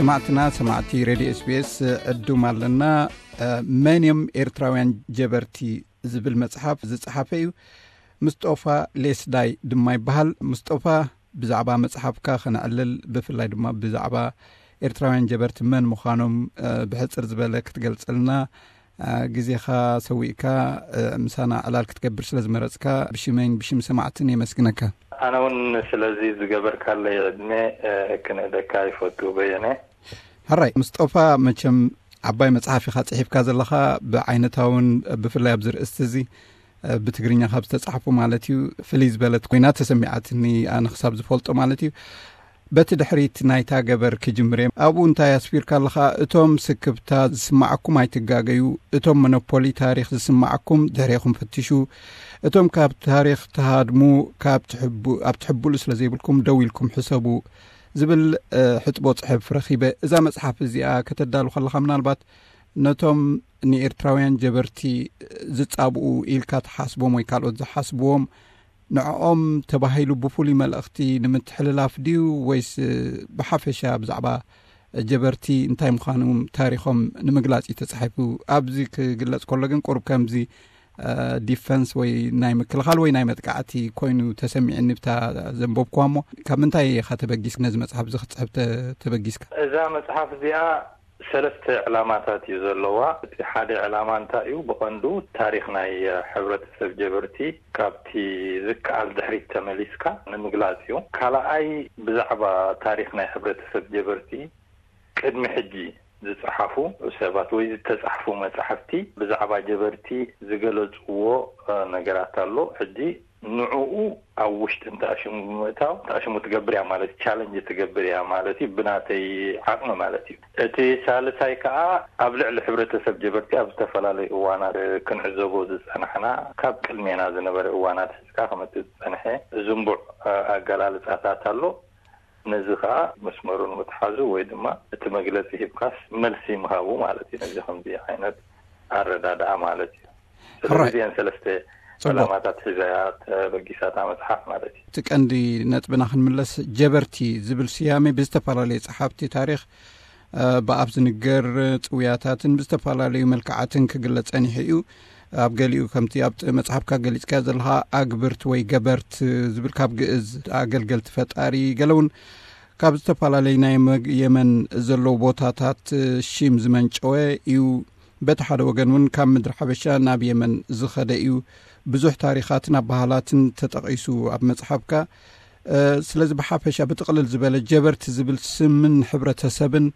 ሰማዕትና፣ ሰማዕቲ ሬድዮ ኤስቢኤስ፣ ዕዱም ኣለና። መን እዮም ኤርትራውያን ጀበርቲ ዝብል መጽሓፍ ዝጸሓፈ እዩ። ምስጦፋ ሌስዳይ ድማ ይበሃል። ምስጦፋ፣ ብዛዕባ መጽሓፍካ ከነዕልል፣ ብፍላይ ድማ ብዛዕባ ኤርትራውያን ጀበርቲ መን ምዃኖም ብሕጽር ዝበለ ክትገልጸልና፣ ግዜኻ ሰዊእካ ምሳና ዕላል ክትገብር ስለ ዝመረጽካ፣ ብሽመይን ብሽም ሰማዕትን የመስግነካ። ኣነ እውን ስለዚ ዝገበርካለይ ዕድመ ክንእደካ ይፈቱ፣ በየነ። ሕራይ ምስጦፋ፣ መቸም ዓባይ መጽሓፍ ኢኻ ጽሒፍካ ዘለኻ። ብዓይነታውን ብፍላይ ኣብዚ ርእስቲ እዚ፣ ብትግርኛ ካብ ዝተጻሕፉ ማለት እዩ፣ ፍልይ ዝበለት ኮይና ተሰሚዓትኒ፣ ኣነ ክሳብ ዝፈልጦ ማለት እዩ። በቲ ድሕሪት ናይታ ገበር ክጅምር እየ። ኣብኡ እንታይ ኣስፊርካ ኣለኻ? እቶም ስክብታ ዝስማዓኩም ኣይትጋገዩ፣ እቶም መኖፖሊ ታሪኽ ዝስማዓኩም ድሕሬኹም ፈትሹ፣ እቶም ካብ ታሪኽ ትሃድሙ፣ ካብ ትሕቡ-፣ ኣብ ትሕብሉ ስለ ዘይብልኩም ደው ኢልኩም ሕሰቡ ዝብል ሕጥቦ ጽሕፍ ረኺበ። እዛ መጽሓፍ እዚኣ ከተዳሉ ከለኻ፣ ምናልባት ነቶም ንኤርትራውያን ጀበርቲ ዝጻብኡ ኢልካ ትሓስቦም ወይ ካልኦት ዝሓስብዎም፣ ንዕኦም ተባሂሉ ብፍሉይ መልእኽቲ ንምትሕልላፍ ድዩ፣ ወይስ ብሓፈሻ ብዛዕባ ጀበርቲ እንታይ ምዃኑ ታሪኾም ንምግላጽ እዩ ተጻሒፉ? ኣብዚ ክግለጽ ከሎ ግን ቁሩብ ከምዚ ዲፈንስ ወይ ናይ ምክልኻል ወይ ናይ መጥቃዕቲ ኮይኑ ተሰሚዕኒ ብታ ዘንበብኩዋ። እሞ ካብ ምንታይ ኢኻ ተበጊስ ነዚ መጽሓፍ እዚ ክትጽሕፍ ተ-፣ ተበጊስካ? እዛ መጽሓፍ እዚኣ ሰለስተ ዕላማታት እዩ ዘለዋ። እቲ ሓደ ዕላማ እንታይ እዩ? ብቐንዱ ታሪኽ ናይ ሕብረተሰብ ጀበርቲ ካብቲ ዝከኣል ድሕሪት ተመሊስካ ንምግላጽ እዩ። ካልኣይ፣ ብዛዕባ ታሪኽ ናይ ሕብረተሰብ ጀበርቲ ቅድሚ ሕጂ ዝጸሓፉ ሰባት ወይ ዝተጻሕፉ መጻሕፍቲ ብዛዕባ ጀበርቲ ዝገለጽዎ ነገራት ኣሎ። ሕጂ ንዕኡ ኣብ ውሽጢ እንተኣሽሙ ብምእታው፣ እንተኣሽሙ ትገብር እያ ማለት፣ ቻለንጅ ትገብር እያ ማለት እዩ፣ ብናተይ ዓቕሚ ማለት እዩ። እቲ ሳልሳይ ከኣ ኣብ ልዕሊ ሕብረተሰብ ጀበርቲ ኣብ ዝተፈላለዩ እዋናት ክንዕዘቦ ዝጸናሕና፣ ካብ ቅድሜና ዝነበረ እዋናት ሒዝካ ክመጽእ ዝጸንሐ ዝንቡዕ ኣገላልጻታት ኣሎ። ነዚ ከኣ መስመሩ ንምትሓዙ ወይ ድማ እቲ መግለጺ ሂብካስ መልሲ ምሃቡ ማለት እዩ። ነዚ ከምዚ ዓይነት ኣረዳድኣ ማለት እዩ። ስለዚ ሕራይ። እዚአን ሰለስተ ጽቡቅ። ዕላማታት ሒዛ እያ ተበጊሳታ መጽሓፍ ማለት እዩ። እቲ ቀንዲ ነጥብና ክንምለስ፣ ጀበርቲ ዝብል ስያሜ ብዝተፈላለየ ጸሓፍቲ ታሪኽ፣ እ፣ ብኣፍ ዝንገር ጽውያታትን ብዝተፈላለዩ መልክዓትን ክግለጽ ጸኒሑ እዩ። ኣብ ገሊኡ ከምቲ ኣብ መጽሓፍካ ገሊጽካዮ ዘለኻ ኣግብርት ወይ ገበርት ዝብል ካብ ግእዝ ኣገልገልቲ ፈጣሪ፣ ገለ እውን ካብ ዝተፈላለዩ ናይ መግ-፣ የመን ዘለዉ ቦታታት፣ እ፣ ሺም ዝመንጨወ እዩ። በቲ ሓደ ወገን እውን ካብ ምድሪ ሓበሻ ናብ የመን ዝኸደ እዩ። ብዙሕ ታሪኻትን ኣበሃላትን ተጠቒሱ ኣብ መጽሓፍካ። እ፣ ስለዚ ብሓፈሻ ብጥቕልል ዝበለ ጀበርቲ ዝብል ስምን ሕብረተሰብን፣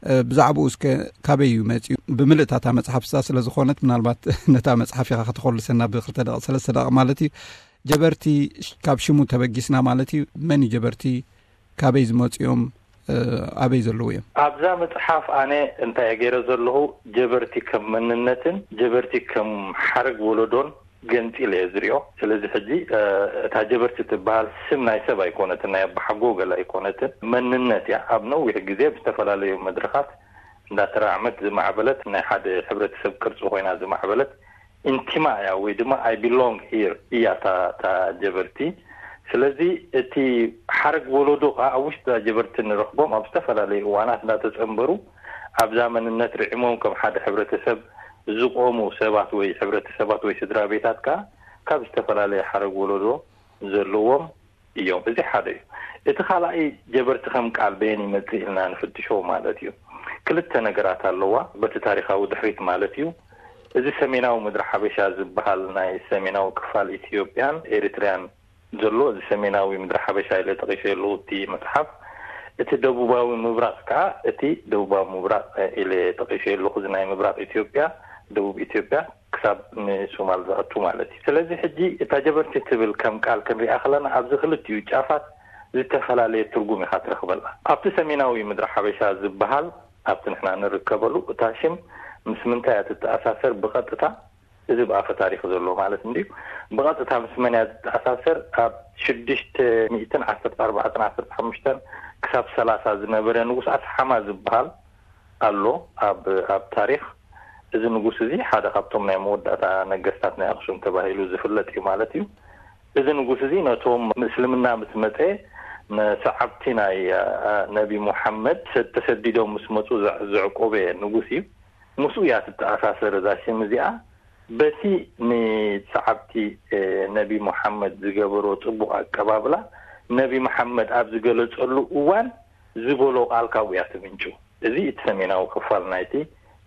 እ፣ ብዛዕባኡ እስከ ካበይ እዩ መጺኡ? ብምልእታታ መጽሓፍ እሳ ስለ ዝኾነት ምናልባት ነታ መጽሓፍ ኢኻ ከተኾልሰና ብክልተ ደቂቕ፣ ሰለስተ ደቂቕ ማለት እዩ። ጀበርቲ ካብ ሽሙ ተበጊስና ማለት እዩ። መን እዩ ጀበርቲ? ካበይ ዝመጹ እዮም? እ፣ ኣበይ ዘለዉ እዮም? ኣብዛ መጽሓፍ ኣነ እንታይ እየ ገይረ ዘለኹ? ጀበርቲ ከም መንነትን ጀበርቲ ከም ሓረግ ወለዶን ገንጺለ እየ ዝሪኦ። ስለዚ ሕጂ፣ እ፣ እታ ጀበርቲ ትበሃል ስም ናይ ሰብ ኣይኮነትን፣ ናይ ኣባሓጎ ገለ ኣይኮነትን፣ መንነት እያ። ኣብ ነዊሕ ግዜ ብዝተፈላለዩ መድረኻት እንዳተራዕመት ዝማዕበለት፣ ናይ ሓደ ሕብረተሰብ ቅርጺ ኮይና ዝማዕበለት ኢንቲማ እያ፣ ወይ ድማ I belong here እያ እታ፣ እታ ጀበርቲ። ስለዚ እቲ ሓረግ ወለዶ ከኣ ኣብ ውሽጢ እዛ ጀበርቲ ንረኽቦም፣ ኣብ ዝተፈላለዩ እዋናት እንዳተጸንበሩ ኣብዛ መንነት ርዒሞም ከም ሓደ ሕብረተሰብ ዝቆሙ ሰባት ወይ ሕብረተሰባት ወይ ስድራ ቤታት ከኣ ካብ ዝተፈላለየ ሓረግ ወለዶ ዘለዎም እዮም። እዚ ሓደ እዩ። እቲ ካልኣይ፣ ጀበርቲ ከም ቃል በየን ይመጽእ ኢልና ንፍትሾ ማለት እዩ። ክልተ ነገራት ኣለዋ፣ በቲ ታሪኻዊ ድሕሪት ማለት እዩ። እዚ ሰሜናዊ ምድሪ ሓበሻ ዝበሃል ናይ ሰሜናዊ ክፋል ኢትዮጵያን ኤሪትሪያን ዘሎ፣ እዚ ሰሜናዊ ምድሪ ሓበሻ ኢለ ጠቒሰ ኣለኹ እቲ መጽሓፍ። እቲ ደቡባዊ ምብራቕ ከኣ፣ እቲ ደቡባዊ ምብራቕ ኢለ ጠቒሰ ኣለኹ፣ እዚ ናይ ምብራቕ ኢትዮጵያ፣ ደቡብ ኢትዮጵያ፣ ክሳብ ንሶማል ዘእቱ ማለት እዩ። ስለዚ ሕጂ እታ ጀበርቲ ትብል ከም ቃል ክንሪኣ ከለና ኣብዚ ክልቲኡ ጫፋት ዝተፈላለየ ትርጉም ኢኻ ትረኽበላ። ኣብቲ ሰሜናዊ ምድሪ ሓበሻ ዝበሃል፣ ኣብቲ ንሕና ንርከበሉ፣ እታ ሽም ምስ ምንታይ እያ ትተኣሳሰር ብቐጥታ? እዚ ብኣፈ ታሪኽ ዘሎ ማለት እንድዩ። ብቐጥታ ምስ መን እያ ትተኣሳሰር? ኣብ ሽዱሽተ ሚእትን ዓሰርተ ኣርባዕተን ዓሰርተ ሓሙሽተን ክሳብ ሰላሳ ዝነበረ ንጉስ ኣስሓማ ዝበሃል ኣሎ ኣብ፣ ኣብ ታሪኽ። እዚ ንጉስ እዚ ሓደ ካብቶም ናይ መወዳእታ ነገስታት ናይ ኣኽሱም ተባሂሉ ዝፍለጥ እዩ ማለት እዩ። እዚ ንጉስ እዚ ነቶም ምስልምና ምስ መጸ ንሰዓብቲ ናይ ነቢ ሙሓመድ ተሰዲዶም ምስ መፁ ዘዕቆበ ንጉስ እዩ። ምስኡ እያ ትተኣሳሰር እዛ ሽም እዚኣ። በቲ ንሰዓብቲ ነቢ ሙሓመድ ዝገበሮ ፅቡቕ ኣቀባብላ፣ ነቢ ሙሓመድ ኣብ ዝገለፀሉ እዋን ዝበሎ ቃል ካብኡ እያ ትምንጩ። እዚ እቲ ሰሜናዊ ክፋል ናይቲ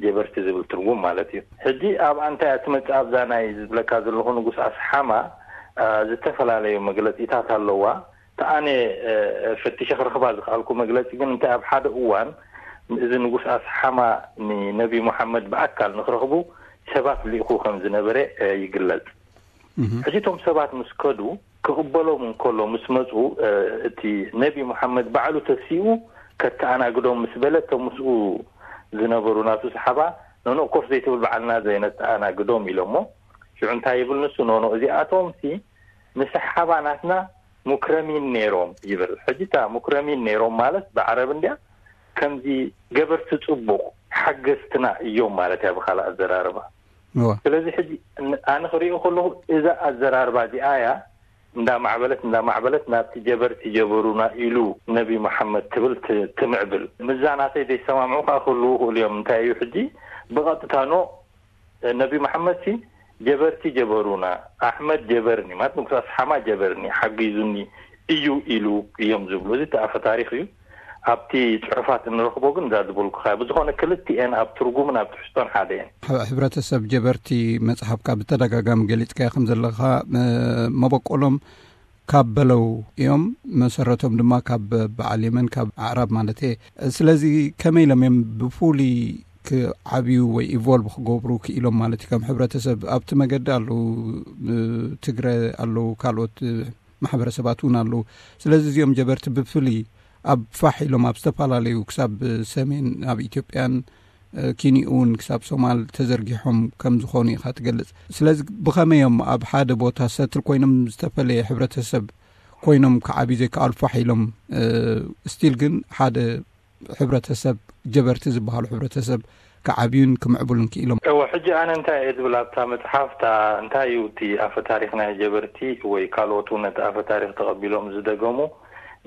ጀበርቲ ዝብል ትርጉም ማለት እዩ። ሕጂ ኣብኣ እንታይ እያ ትመፅእ? ኣብዛ ናይ ዝብለካ ዘለኹ ንጉስ ኣስሓማ ዝተፈላለዩ መግለፂታት ኣለዋ። ተኣነ ፈትሸ ክረኽባ ዝኸኣልኩ መግለፂ ግን እንታይ፣ ኣብ ሓደ እዋን እዚ ንጉስ ኣስሓማ ንነቢ ሙሓመድ ብኣካል ንክረኽቡ ሰባት ልኢኹ ከም ዝነበረ ይግለጽ። ሕጂ እቶም ሰባት ምስ ከዱ፣ ክቕበሎም እንከሎ ምስ መፁ፣ እቲ ነቢ ሙሓመድ ባዕሉ ተሲኡ ከተኣናግዶም ምስ በለ፣ እቶም ምስኡ ዝነበሩ ናቱ ሰሓባ፣ ኖኖ ኮፍ ዘይትብል፣ ባዕልና ዘይነተኣናግዶም ኢሎሞ። ሽዑ እንታይ ይብል ንሱ? ኖኖ እዚኣቶም ሲ ንሰሓባ ናትና ሙክረሚን ነይሮም ይብል። ሕጂ እታ ሙክረሚን ነይሮም ማለት ብዓረብ እንድያ፣ ከምዚ ገበርቲ ጽቡቕ ሓገዝትና እዮም ማለት እያ ብኻልእ ኣዘራርባ። ስለዚ ሕጂ ኣነ ክሪኦ ከለኹ እዛ ኣዘራርባ እዚኣ እያ እንዳማዕበለት እንዳማዕበለት ናብቲ ጀበርቲ ጀበሩና ኢሉ ነቢ መሓመድ ትብል ትምዕብል። ምዛ ናተይ ዘይሰማምዑ ከዓ ክህልዉ ይኽእሉ እዮም። እንታይ እዩ ሕጂ ብቐጥታ ኖ ነቢ መሓመድ ሲ ጀበርቲ ጀበሩና፣ ኣሕመድ ጀበርኒ ማለት ንጉስ ኣስሓማ ጀበርኒ ሓጊዙኒ እዩ ኢሉ እዮም ዝብሉ። እዚ ተኣፈ ታሪክ እዩ። ኣብቲ ፅሑፋት እንረኽቦ ግን እዛ ዝበልኩኻ ብዝኾነ ክልቲኤን ኣብ ትርጉምን ኣብ ትሕዝቶን ሓደ እየን። ሕብረተሰብ ጀበርቲ መፅሓፍካ ብተደጋጋሚ ገሊፅካዮ ከም ዘለኻ መበቆሎም ካብ በለው እዮም፣ መሰረቶም ድማ ካብ በዓል የመን ካብ ኣዕራብ ማለት እየ። ስለዚ ከመይ ኢሎም እዮም ብፍሉይ ክዓብዩ ወይ ኢቮልቭ ክገብሩ ክኢሎም ማለት እዩ? ከም ሕብረተሰብ ኣብቲ መገዲ ኣለዉ፣ ትግረ ኣለዉ፣ ካልኦት ማሕበረሰባት እውን ኣለዉ። ስለዚ እዚኦም ጀበርቲ ብፍሉይ ኣብ ፋሕ ኢሎም ኣብ ዝተፈላለዩ ክሳብ ሰሜን ኣብ ኢትዮጵያን ኪንኡ እውን ክሳብ ሶማል ተዘርጊሖም ከም ዝኾኑ ኢኻ ትገልጽ። ስለዚ ብኸመይ እዮም ኣብ ሓደ ቦታ ሰትል ኮይኖም ዝተፈለየ ሕብረተሰብ ኮይኖም ክዓብዩ ዘይከኣሉ ፋሕ ኢሎም ስቲል ግን ሓደ ሕብረተሰብ ጀበርቲ ዝበሃሉ ሕብረተሰብ ክዓብዩን ክምዕብሉን ክኢሎም? እወ፣ ሕጂ ኣነ እንታይ እየ ዝብል ኣብታ መጽሓፍታ እንታይ እዩ እቲ ኣፈ ታሪኽ ናይ ጀበርቲ ወይ ካልኦት እውን ነቲ ኣፈ ታሪኽ ተቐቢሎም ዝደገሙ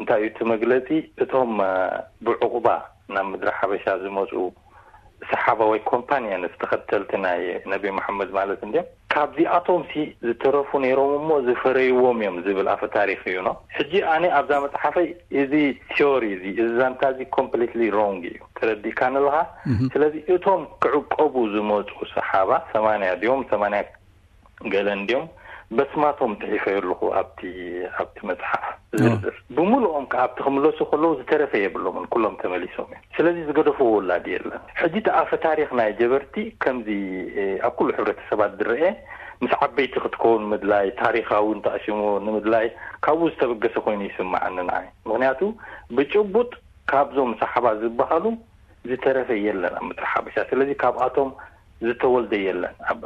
እንታይ እዩ እቲ መግለጺ እቶም ብዕቑባ ናብ ምድሪ ሓበሻ ዝመፁ ሰሓባ ወይ ኮምፓንየንስ ተኸተልቲ ናይ ነቢ መሓመድ ማለት እንድዮም። ካብዚኣቶም ሲ ዝተረፉ ነይሮም እሞ ዝፈረይዎም እዮም ዝብል ኣፈ ታሪክ እዩ ኖ። ሕጂ ኣነ ኣብዛ መፅሓፈይ እዚ ቲዮሪ እዚ እዚ ዛንታ እዚ ኮምፕሊትሊ ሮንግ እዩ ተረዲእካ ንለኻ። ስለዚ እቶም ክዕቀቡ ዝመፁ ሰሓባ ሰማንያ ድዮም ሰማንያ ገለ እንድዮም በስማቶም ፅሒፈ ኣለኹ ኣብቲ ኣብቲ መፅሓፍ ዝርዝር ብምልኦም ከ ኣብቲ ክምለሱ ከለዉ ዝተረፈ የብሎምን ኩሎም ተመሊሶም እዮም። ስለዚ ዝገደፍዎ ወላዲ የለን። ሕጂ እቲ ኣፈ ታሪክ ናይ ጀበርቲ ከምዚ ኣብ ኩሉ ሕብረተሰባት ዝረአ ምስ ዓበይቲ ክትከውን ምድላይ ታሪካዊ እንተኣሽሙ ንምድላይ ካብኡ ዝተበገሰ ኮይኑ ይስምዓኒ ንዓይ። ምክንያቱ ብጭቡጥ ካብዞም ሰሓባ ዝበሃሉ ዝተረፈ የለን ኣብ ምድሪ ሓበሻ። ስለዚ ካብኣቶም ዝተወልደ የለን ኣብ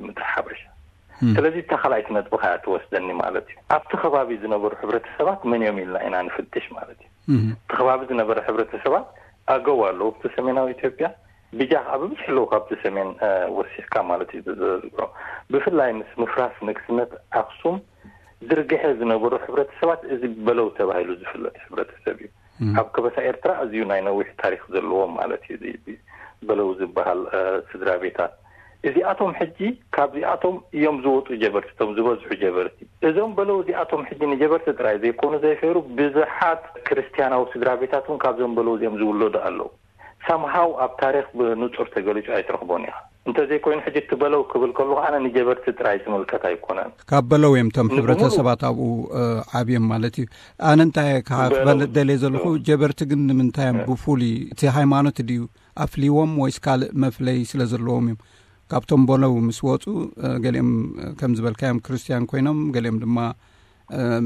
ምድሪ ሓበሻ። ስለዚ እታ ካልኣይቲ ነጥብኻ እያ ትወስደኒ ማለት እዩ። ኣብቲ ከባቢ ዝነበሩ ሕብረተሰባት መን እዮም ኢልና ኢና ንፍትሽ ማለት እዩ። እቲ ከባቢ ዝነበረ ሕብረተሰባት ኣገው ኣለዉ ኣብቲ ሰሜናዊ ኢትዮጵያ። ብጃ ከዓ ብብዝሒ ኣለዉ ካብቲ ሰሜን ወሲኽካ ማለት እዩ። ዝዝሮ ብፍላይ ምስ ምፍራስ ንግስነት ኣክሱም ዝርግሐ ዝነበሩ ሕብረተሰባት እዚ በለው ተባሂሉ ዝፍለጥ ሕብረተሰብ እዩ። ኣብ ከበሳ ኤርትራ ኣዝዩ ናይ ነዊሕ ታሪክ ዘለዎም ማለት እዩ። በለው ዝበሃል ስድራ ቤታት እዚኣቶም ሕጂ ካብዚኣቶም እዮም ዝወፁ ጀበርቲ፣ እቶም ዝበዝሑ ጀበርቲ። እዞም በለው እዚኣቶም ሕጂ ንጀበርቲ ጥራይ ዘይኮኑ ዘይፈሩ ብዙሓት ክርስትያናዊ ስድራ ቤታት እውን ካብዞም በለው እዚኦም ዝውለዱ ኣለዉ። ሳምሃው ኣብ ታሪክ ብንፁር ተገሊፁ ኣይትረኽቦን ኢኻ። እንተዘይኮይኑ ሕጂ እቲ በለው ክብል ከለኹ ኣነ ንጀበርቲ ጥራይ ዝምልከት ኣይኮነን። ካብ በለው እዮም እቶም ሕብረተሰባት ኣብኡ ዓብዮም ማለት እዩ። ኣነ እንታይ ክፈልጥ ደልየ ዘለኹ ጀበርቲ ግን ንምንታይ እዮም ብፍሉይ እቲ ሃይማኖት ድዩ ኣፍልይዎም ወይስ ካልእ መፍለይ ስለ ዘለዎም እዮም? ካብቶም በለው ምስ ወፁ ገሊኦም ከም ዝበልካዮም ክርስትያን ኮይኖም ገሊኦም ድማ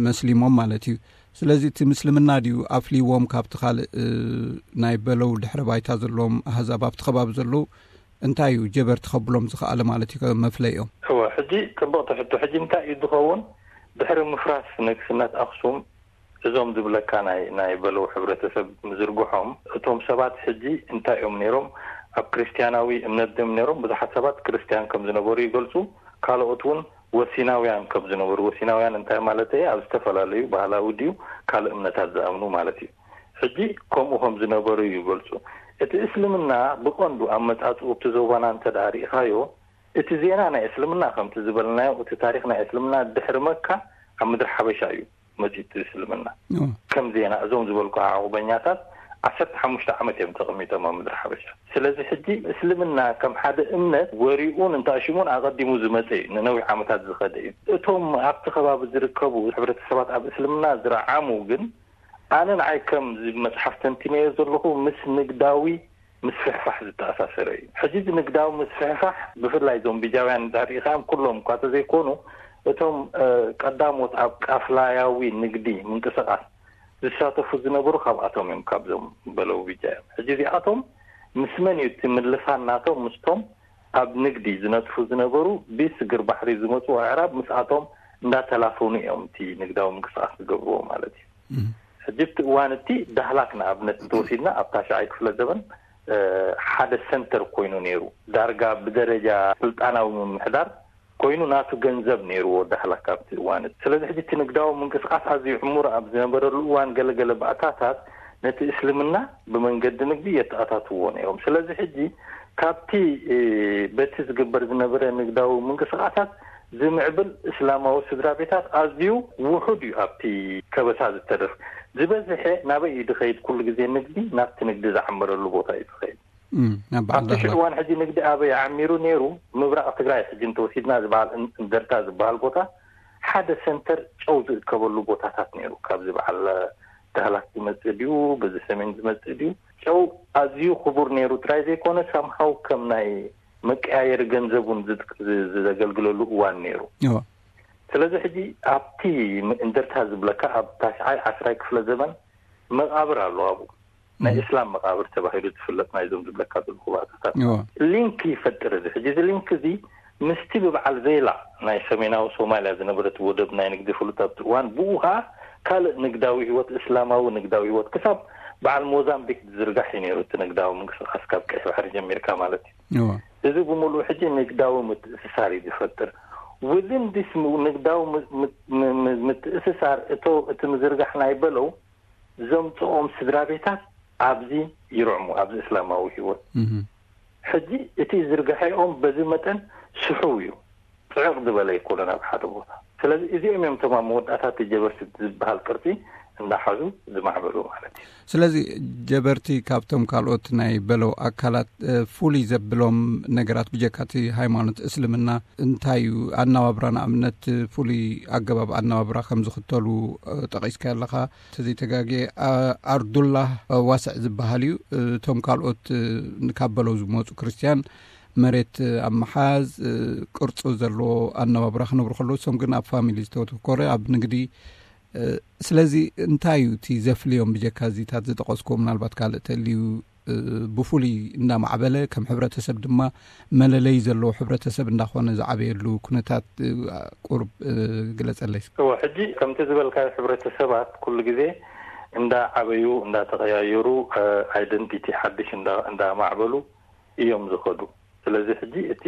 መስሊሞም ማለት እዩ። ስለዚ እቲ ምስልምና ድዩ ኣፍልይዎም ካብቲ ካልእ ናይ በለው ድሕረ ባይታ ዘለዎም ኣህዛብ ኣብቲ ከባቢ ዘለዉ እንታይ እዩ ጀበርቲ ከብሎም ዝኸኣለ ማለት እዩ መፍለይኦም? እወ፣ ሕጂ ጽብቕቲ ሕቶ። ሕጂ እንታይ እዩ ዝኸውን? ድሕሪ ምፍራስ ንግስነት ኣኽሱም እዞም ዝብለካ ናይ ናይ በለው ሕብረተሰብ ምዝርግሖም እቶም ሰባት ሕጂ እንታይ እዮም ነይሮም? ኣብ ክርስትያናዊ እምነት ድዮም ነይሮም? ብዙሓት ሰባት ክርስትያን ከም ዝነበሩ ይገልጹ። ካልኦት እውን ወሲናውያን ከም ዝነበሩ፣ ወሲናውያን እንታይ ማለት እዩ? ኣብ ዝተፈላለዩ ባህላዊ ድዩ ካልእ እምነታት ዝኣምኑ ማለት እዩ። ሕጂ ከምኡ ከም ዝነበሩ እዩ ይገልጹ። እቲ እስልምና ብቐንዱ ኣብ መጻጽኡ ኣብቲ ዞባና እንተ ደኣ ርኢኻዮ፣ እቲ ዜና ናይ እስልምና ከምቲ ዝበልናዮ፣ እቲ ታሪኽ ናይ እስልምና ድሕሪ መካ ኣብ ምድሪ ሓበሻ እዩ መጺኡ እቲ እስልምና። ከም ዜና እዞም ዝበልኩ ዓቑበኛታት ዓሰርተ ሓሙሽተ ዓመት እዮም ተቐሚጦም ኣብ ምድሪ ሓበሻ። ስለዚ ሕጂ እስልምና ከም ሓደ እምነት ወሪኡን እንተኣሽሙን ኣቐዲሙ ዝመጸ እዩ፣ ንነዊሕ ዓመታት ዝኸደ እዩ። እቶም ኣብቲ ከባቢ ዝርከቡ ሕብረተሰባት ኣብ እስልምና ዝረዓሙ ግን፣ ኣነ ንዓይ ከም መጽሓፍ ተንቲነዮ ዘለኹ ምስ ንግዳዊ ምስፍሕፋሕ ዝተኣሳሰረ እዩ። ሕጂ እዚ ንግዳዊ ምስፍሕፋሕ ብፍላይ እዞም ቢጃውያን እንድሕር ርኢኻዮም ኩሎም እኳ ተዘይኮኑ፣ እቶም ቀዳሞት ኣብ ቃፍላያዊ ንግዲ ምንቅስቓስ ዝሳተፉ ዝነበሩ ካብኣቶም እዮም፣ ካብዞም በለው ቢጃ እዮም። ሕጂ እዚኣቶም ምስ መን እዩ እቲ ምልፋን ናቶም? ምስቶም ኣብ ንግዲ ዝነጥፉ ዝነበሩ ብስግር ባሕሪ ዝመፁ ኣዕራብ ምስኣቶም እንዳተላፈኑ እዮም እቲ ንግዳዊ ምንቅስቃስ ዝገብርዎ ማለት እዩ። ሕጂ እቲ እዋን እቲ ዳህላክ ንኣብነት እንተወሲድና ኣብ ታሽዓይ ክፍለ ዘበን ሓደ ሰንተር ኮይኑ ነይሩ። ዳርጋ ብደረጃ ስልጣናዊ ምምሕዳር ኮይኑ ናቱ ገንዘብ ነይርዎ ዳህላክ ኣብቲ እዋን እቲ። ስለዚ ሕጂ እቲ ንግዳዊ ምንቅስቃስ ኣዝዩ ዕሙር ኣብ ዝነበረሉ እዋን ገለገለ ባእታታት ነቲ እስልምና ብመንገዲ ንግዲ የተኣታትዎ ነይሮም። ስለዚ ሕጂ ካብቲ በቲ ዝግበር ዝነበረ ንግዳዊ ምንቅስቃሳት ዝምዕብል እስላማዊ ስድራ ቤታት ኣዝዩ ውሑድ እዩ። ኣብቲ ከበሳ ዝተደፍ ዝበዝሐ ናበይ እዩ ዝኸይድ? ኩሉ ግዜ ንግዲ ናብቲ ንግዲ ዝዓመረሉ ቦታ እዩ ዝኸይድ። ኣብቲ ሽዑ እዋን ሕጂ ንግዲ ኣበይ ዓሚሩ ነይሩ? ምብራቕ ትግራይ ሕጂ እንተወሲድና ዝበሃል እንደርታ ዝበሃል ቦታ ሓደ ሰንተር ጨው ዝእከበሉ ቦታታት ነይሩ። ካብዚ በዓል ዳህላክ ዝመፅእ ድዩ፣ በዚ ሰሜን ዝመፅእ ድዩ? ጨው ኣዝዩ ክቡር ነይሩ ጥራይ ዘይኮነ ሳምሃው ከም ናይ መቀያየሪ ገንዘብ እውን ዘገልግለሉ እዋን ነይሩ። ስለዚ ሕጂ ኣብቲ እንደርታ ዝብለካ ኣብ ታሽዓይ ዓስራይ ክፍለ ዘመን መቃብር ኣሎ ኣብኡ ናይ እስላም መቃብር ተባሂሉ ዝፍለጥ ናይዞም ዝብለካ ዘለኹ ባእታታት ሊንክ ይፈጥር። እዚ ሕጂ እዚ ሊንክ እዚ ምስቲ ብበዓል ዘይላ ናይ ሰሜናዊ ሶማልያ ዝነበረት ወደብ ናይ ንግዲ ፍሉጥ ኣብቲ እዋን ብኡ ከዓ ካልእ ንግዳዊ ህይወት እስላማዊ ንግዳዊ ህይወት ክሳብ በዓል ሞዛምቢክ ዝዝርጋሕ እዩ ነይሩ። እቲ ንግዳዊ ምንቅስቃስ ካብ ቀይሕ ባሕሪ ጀሚርካ ማለት እዩ። እዚ ብምሉኡ ሕጂ ንግዳዊ ምትእስሳር እዩ ዝፈጥር። ውዝን ዲስ ንግዳዊ ምትእስሳር እቶ እቲ ምዝርጋሕ ናይ በለው ዘምፅኦም ስድራ ቤታት ኣብዚ ይርዕሙ ኣብዚ እስላማዊ ህይወት ሕጂ እቲ ዝርግሐኦም በዚ መጠን ስሕው እዩ። ፅዕቕ ዝበለ ኣይኮነን ኣብ ሓደ ቦታ። ስለዚ እዚኦም እዮም እቶም ኣብ መወዳእታ እቲ ጀበርቲ ዝበሃል ቅርፂ እንዳሓዙ ዝማዕበሉ ማለት እዩ። ስለዚ ጀበርቲ ካብቶም ካልኦት ናይ በለው ኣካላት ፍሉይ ዘብሎም ነገራት ብጀካ እቲ ሃይማኖት እስልምና እንታይ እዩ? ኣነባብራ ንኣብነት ፍሉይ ኣገባብ ኣነባብራ ከም ዝኽተሉ ጠቒስካ ኣለኻ። ተዘይተጋግየ ኣርዱላህ ዋስዕ ዝበሃል እዩ። እቶም ካልኦት ካብ በለው ዝመፁ ክርስትያን መሬት ኣብ ምሓዝ ቅርፁ ዘለዎ ኣነባብራ ክነብሩ ከለዉ እሶም ግን ኣብ ፋሚሊ ዝተወተኮረ ኣብ ንግዲ። ስለዚ እንታይ እዩ እቲ ዘፍልዮም ብጀካ እዚታት ዝጠቐስኩዎ ምናልባት ካልእ ተልዩ ብፍሉይ እንዳማዕበለ ከም ሕብረተሰብ ድማ መለለይ ዘለዎ ሕብረተሰብ እንዳኾነ ዝዓበየሉ ኩነታት ቁርብ ግለፀለይ። እወ ሕጂ ከምቲ ዝበልካዮ ሕብረተሰባት ኩሉ ግዜ እንዳዓበዩ እንዳተቐያየሩ ኣይደንቲቲ ሓድሽ እንዳማዕበሉ እዮም ዝኸዱ። ስለዚ ሕጂ እቲ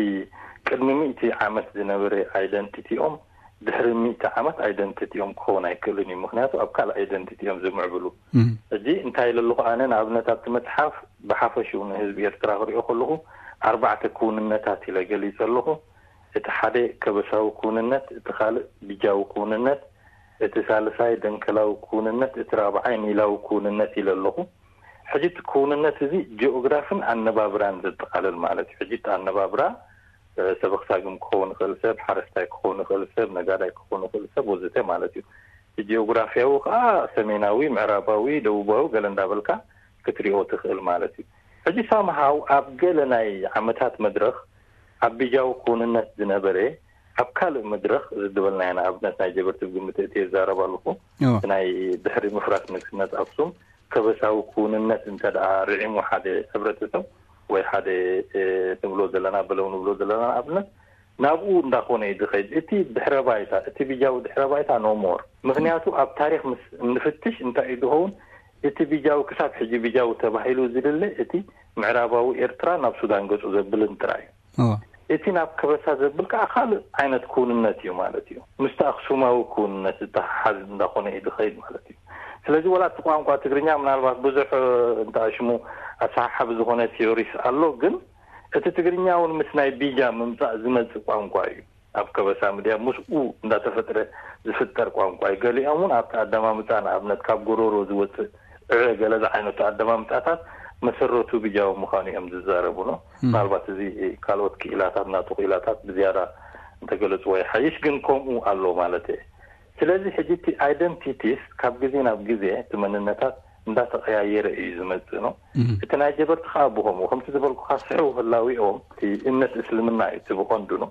ቅድሚ ሚእቲ ዓመት ዝነበረ ኣይደንቲቲኦም ድሕሪ ሚእቲ ዓመት ኣይደንቲቲኦም ክኸውን ኣይክእልን እዩ። ምክንያቱ ኣብ ካልእ ኣይደንቲቲ እዮም ዝምዕብሉ። ሕጂ እንታይ ኢለ ኣለኹ ኣነ ንኣብነት ኣብቲ መፅሓፍ ብሓፈሽኡ ንህዝቢ ኤርትራ ክሪኦ ከለኹ ኣርባዕተ ክውንነታት ኢለ ገሊፀ ኣለኹ። እቲ ሓደ ከበሳዊ ክውንነት፣ እቲ ካልእ ብጃዊ ክውንነት፣ እቲ ሳልሳይ ደንከላዊ ክውንነት፣ እቲ ራብዓይ ኒላዊ ክውንነት ኢለ ኣለኹ። ሕጂ እቲ ክውንነት እዚ ጂኦግራፍን ኣነባብራን ዘጠቓልል ማለት እዩ። ሕጂ እቲ ኣነባብራ ሰበኽሳግም ክኸውን ይኽእል ሰብ፣ ሓረስታይ ክኸውን ይኽእል ሰብ፣ ነጋዳይ ክኸውን ይኽእል ሰብ ወዘተ ማለት እዩ። እቲ ጂኦግራፍያዊ ከዓ ሰሜናዊ፣ ምዕራባዊ፣ ደቡባዊ ገለ እንዳበልካ ክትሪኦ ትኽእል ማለት እዩ። ሕጂ ሳምሃው ኣብ ገለ ናይ ዓመታት መድረኽ ኣብ ቢጃዊ ክውንነት ዝነበረ ኣብ ካልእ መድረኽ ዝድበልናዮ ንኣብነት ናይ ጀበርቲ ብግምት እቲ የዛረብ ኣለኹ ናይ ድሕሪ ምፍራስ ንግስነት ኣክሱም ከበሳዊ ክውንነት እንተ ደኣ ርዒሙ ሓደ ሕብረተሰብ ወይ ሓደ ንብሎ ዘለና በለው ንብሎ ዘለና ንኣብነት ናብኡ እንዳኾነ እዩ ዝኸይድ። እቲ ድሕረ ባይታ እቲ ቢጃዊ ድሕረ ባይታ ኖሞር ምክንያቱ ኣብ ታሪክ ምስ እንፍትሽ እንታይ እዩ ዝኸውን እቲ ቢጃዊ ክሳብ ሕጂ ቢጃዊ ተባሂሉ ዝልለ እቲ ምዕራባዊ ኤርትራ ናብ ሱዳን ገጹ ዘብልን ጥራይ እዩ። እቲ ናብ ከበሳ ዘብል ከዓ ካልእ ዓይነት ክውንነት እዩ ማለት እዩ። ምስቲ ኣክሱማዊ ክውንነት ዝተሓሓዝ እንዳኾነ እዩ ዝኸይድ ማለት እዩ። ስለዚ ዋላ እቲ ቋንቋ ትግርኛ ምናልባት ብዙሕ እንተኣሽሙ ኣሰሓሓቢ ዝኾነ ቲዮሪስ ኣሎ፣ ግን እቲ ትግርኛ እውን ምስ ናይ ቢጃ ምምፃእ ዝመፅእ ቋንቋ እዩ። ኣብ ከበሳ ምድያ ምስኡ እንዳተፈጥረ ዝፍጠር ቋንቋ እዩ። ገሊኦም እውን ኣብቲ ኣደማምፃ ንኣብነት ካብ ጎሮሮ ዝወፅእ ዕረ ገለ ዝዓይነቱ ኣደማምፃታት መሰረቱ ብጃዊ ምዃኑ እዮም ዝዛረቡ ነው። ምናልባት እዚ ካልኦት ክኢላታት ናቱ ክኢላታት ብዝያዳ እንተገለፅዎ ይሓይሽ፣ ግን ከምኡ ኣሎ ማለት እየ። ስለዚ ሕጂ እቲ ኣይደንቲቲስ ካብ ግዜ ናብ ግዜ እቲ መንነታት እንዳተቐያየረ እዩ ዝመፅእ ነው። እቲ ናይ ጀበርቲ ከዓ ብኸምኡ ከምቲ ዝበልኩካ ስሕው ህላዊኦም እቲ እምነት እስልምና እዩ እቲ ብቐንዱ ነው።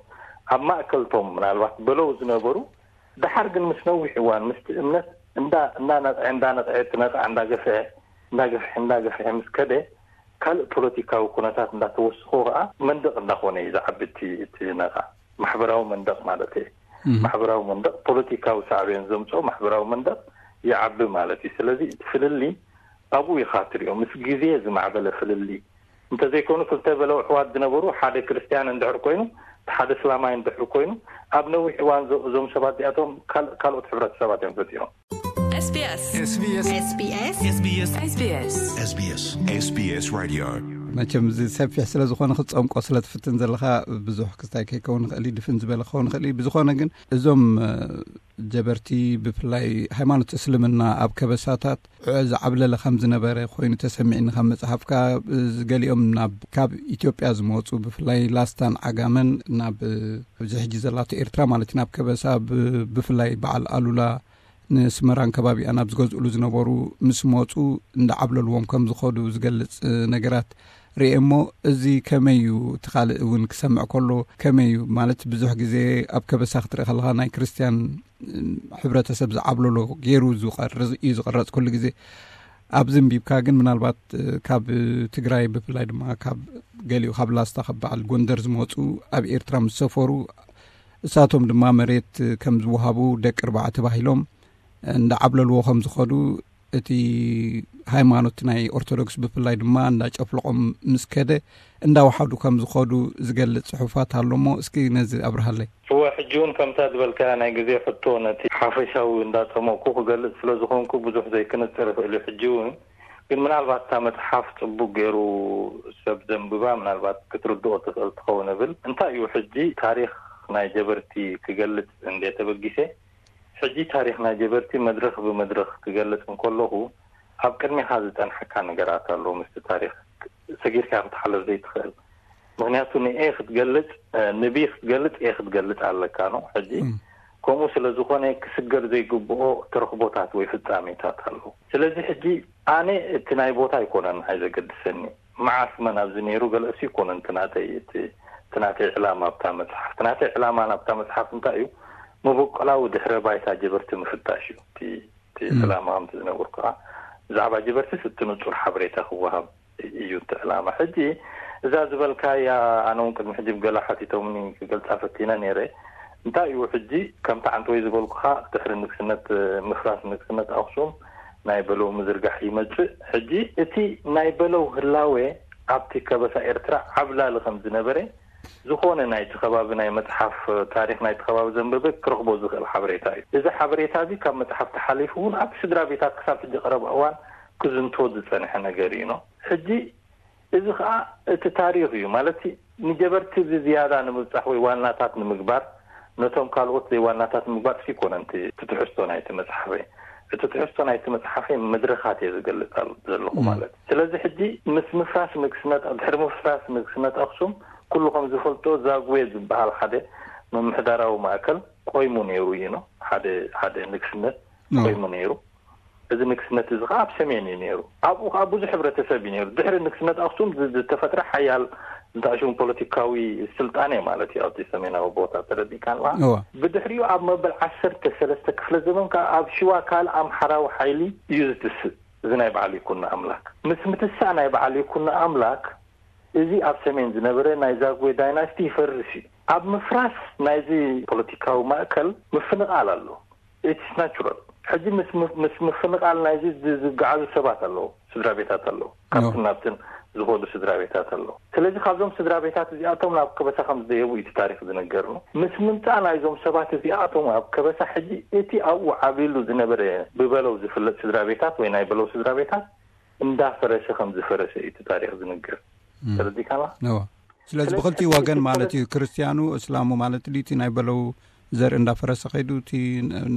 ኣብ ማእከልቶም ምናልባት በለው ዝነበሩ፣ ደሓር ግን ምስ ነዊሕ እዋን ምስቲ እምነት እንዳ እንዳነቕዐ እንዳነቕዐ እቲ ነቕዓ እንዳገፍሐ እንዳገፍሐ እንዳገፍሐ ምስ ከደ፣ ካልእ ፖለቲካዊ ኩነታት እንዳተወስኾ ከዓ መንደቕ እንዳኾነ እዩ ዝዓቢ እቲ እቲ ነቕዓ። ማሕበራዊ መንደቕ ማለት እዩ። ማሕበራዊ መንደቕ ፖለቲካዊ ሳዕቤን ዘምፅኦ ማሕበራዊ መንደቕ ይዓቢ ማለት እዩ። ስለዚ እቲ ፍልልይ ኣብኡ ኢኻ ትሪኦ፣ ምስ ግዜ ዝማዕበለ ፍልልይ። እንተዘይኮኑ ክልተ በለው ኣሕዋት ዝነበሩ ሓደ ክርስትያን እንድሕር ኮይኑ እቲ ሓደ እስላማይ እንድሕር ኮይኑ ኣብ ነዊሕ እዋን እዞም ሰባት እዚኣቶም ካልኦት ሕብረተሰባት እዮም ፈጢሮም። SBS SBS SBS SBS SBS SBS Radio. መቸም እዚ ሰፊሕ ስለ ዝኾነ ክትፀምቆ ስለ ትፍትን ዘለኻ ብዙሕ ክስታይ ከይከውን ይኽእል እዩ፣ ድፍን ዝበለ ክኸውን ይኽእል እዩ። ብዝኾነ ግን እዞም ጀበርቲ ብፍላይ ሃይማኖት እስልምና ኣብ ከበሳታት ዕዑ ዝዓብለለ ከም ዝነበረ ኮይኑ ተሰሚዕኒ። ካብ መፅሓፍካ ገሊኦም ናብ ካብ ኢትዮጵያ ዝመፁ ብፍላይ ላስታን ዓጋመን ናብ እዚ ሕጂ ዘላቶ ኤርትራ ማለት ናብ ከበሳ ብፍላይ በዓል ኣሉላ ንስመራን ከባቢኣ ናብ ዝገዝእሉ ዝነበሩ ምስ መፁ እንዳዓብለልዎም ከም ዝኸዱ ዝገልፅ ነገራት ርኤ እሞ፣ እዚ ከመይ እዩ? እቲ ካልእ እውን ክሰምዕ ከሎ ከመይ እዩ? ማለት ብዙሕ ግዜ ኣብ ከበሳ ክትርኢ ከለኻ ናይ ክርስትያን ሕብረተሰብ ዝዓብለሎ ገይሩ እዩ ዝቐረፅ ኩሉ ግዜ። ኣብዚ እንቢብካ ግን ምናልባት ካብ ትግራይ ብፍላይ ድማ ካብ ገሊኡ ካብ ላስታ ካብ በዓል ጎንደር ዝመፁ ኣብ ኤርትራ ምስ ሰፈሩ እሳቶም ድማ መሬት ከም ዝወሃቡ ደቂ ኣርባዕተ ተባሂሎም እንዳዓብለልዎ ከም ዝኸዱ እቲ ሃይማኖት ናይ ኦርቶዶክስ ብፍላይ ድማ እንዳጨፍለቖም ምስ ከደ እንዳወሓዱ ከም ዝኸዱ ዝገልፅ ፅሑፋት ኣሎ እሞ እስኪ ነዚ ኣብርሃለይ። እወ፣ ሕጂ እውን ከምታ ዝበልካያ ናይ ግዜ ሕቶ ነቲ ሓፈሻዊ እንዳፀመቕኩ ክገልፅ ስለ ዝኾንኩ ብዙሕ ዘይክንፅር ይኽእል እዩ። ሕጂ እውን ግን ምናልባት እታ መፅሓፍ ፅቡቅ ገይሩ ሰብ ዘንብባ ምናልባት ክትርድኦ ትኽእል ትኸውን እብል። እንታይ እዩ ሕጂ ታሪኽ ናይ ጀበርቲ ክገልፅ እንደ ተበጊሰ፣ ሕጂ ታሪኽ ናይ ጀበርቲ መድረኽ ብመድረኽ ክገልፅ እንከለኹ ኣብ ቅድሚኻ ዝፀንሓካ ነገራት ኣሎ። ምስቲ ታሪኽ ሰጊርካ ክትሓለፍ ዘይትኽእል። ምኽንያቱ ንኤ ክትገልፅ፣ ንቢ ክትገልፅ ኤ ክትገልፅ ኣለካ ነው። ሕጂ ከምኡ ስለ ዝኾነ ክስገር ዘይግብኦ ተረኽቦታት ወይ ፍጻሜታት ኣሎ። ስለዚ ሕጂ ኣነ እቲ ናይ ቦታ ኣይኮነን ኣይ ዘገድሰኒ። መዓስ መን ኣብዚ ነይሩ ገለእሲ ይኮነን እቲ ናተይ እቲ እቲ ናተይ ዕላማ ኣብታ መጽሓፍ። እቲ ናተይ ዕላማ ናብታ መጽሓፍ እንታይ እዩ? መበቆላዊ ድሕረ ባይታ ጀበርቲ ምፍታሽ እዩ። እቲ እቲ ዕላማ ከምቲ ዝነገርኩኻ ብዛዕባ ጀበርትስ እቲ ንጹር ሓበሬታ ክወሃብ እዩ እቲ ዕላማ። ሕጂ እዛ ዝበልካያ ኣነ እውን ቅድሚ ሕጂ ብገላ ሓቲቶምኒ ክገልጻ ፈቲነ ነይረ። እንታይ እዩ ሕጂ ከምቲ ዓንተወይ ዝበልኩኻ ድሕሪ ንግስነት ምፍራስ ንግስነት ኣኽሱም ናይ በለው ምዝርጋሕ ይመጽእ። ሕጂ እቲ ናይ በለው ህላዌ ኣብቲ ከበሳ ኤርትራ ዓብላሊ ከም ዝነበረ ዝኾነ ናይቲ ከባቢ ናይ መጽሓፍ ታሪኽ ናይቲ ከባቢ ዘንበበ ክረኽቦ ዝኽእል ሓበሬታ እዩ። እዚ ሓበሬታ እዚ ካብ መጽሓፍ ተሓሊፉ እውን ኣብ ስድራ ቤታት ክሳብ ሕጂ ቀረባ እዋን ክዝንቶ ዝጸንሐ ነገር እዩ ነው። ሕጂ እዚ ኸኣ እቲ ታሪኽ እዩ ማለት ንጀበርቲ ብዝያዳ ንምብጻሕ ወይ ዋናታት ንምግባር ነቶም ካልኦት ዘይዋናታት ንምግባር ሲ ኮነ እቲ ትሕዝቶ ናይቲ መጽሓፈይ እቲ ትሕዝቶ ናይቲ መጽሓፈይ መድረኻት እየ ዝገልጽ ዘለኹ ማለት። ስለዚ ሕጂ ምስ ምፍራስ ንግስነት ድሕሪ ምፍራስ ንግስነት ኣክሱም ኩሉ ከም ዝፈልጦ ዛጉዌ ዝበሃል ሓደ ምምሕዳራዊ ማእከል ቆይሙ ነይሩ እዩ ነው። ሓደ ሓደ ንግስነት ቆይሙ ነይሩ። እዚ ንግስነት እዚ ከዓ ኣብ ሰሜን እዩ ነይሩ። ኣብኡ ከዓ ብዙሕ ሕብረተሰብ እዩ ነይሩ። ድሕሪ ንግስነት ኣክሱም ዝተፈጥረ ሓያል እንተኣሽሙ ፖለቲካዊ ስልጣኔ ማለት እዩ ኣብቲ ሰሜናዊ ቦታ ተረዲእካ ኣለካ። ብድሕሪኡ ኣብ መበል ዓሰርተ ሰለስተ ክፍለ ዘመን ከዓ ኣብ ሽዋ ካልእ ኣምሓራዊ ሓይሊ እዩ ዝትስእ። እዚ ናይ በዓል ይኩኖ ኣምላክ ምስ ምትሳእ ናይ በዓል ይኩኖ ኣምላክ እዚ ኣብ ሰሜን ዝነበረ ናይ ዛጉዌ ዳይናስቲ ይፈርስ እዩ። ኣብ ምፍራስ ናይዚ ፖለቲካዊ ማእከል ምፍንቓል ኣሎ። ኢትስ ናቹራል። ሕጂ ምስ ምስ ምፍንቓል ናይዚ ዝገዓዙ ሰባት ኣለዉ፣ ስድራ ቤታት ኣለዉ። ካብትን ናብትን ዝኸዱ ስድራ ቤታት ኣለዉ። ስለዚ ካብዞም ስድራ ቤታት እዚኣቶም ናብ ከበሳ ከም ዝደየቡ እዩ እቲ ታሪኽ ዝነገርኑ። ምስ ምምጻእ ናይዞም ሰባት እዚኣቶም ኣብ ከበሳ ሕጂ እቲ ኣብኡ ዓብሉ ዝነበረ ብበለው ዝፍለጥ ስድራ ቤታት ወይ ናይ በለው ስድራ ቤታት እንዳፈረሰ ከም ዝፈረሰ እዩ እቲ ታሪኽ ዝነገር። ተረዲካና? እዋ። ስለዚ ስለዚ ብክልቲኡ እቲ ወገን ማለት እዩ፣ ክርስትያኑ እስላሙ ማለት ድዩ፣ እቲ ናይ በለው ዘርኢ እንዳፈረሰ ከይዱ፣ እቲ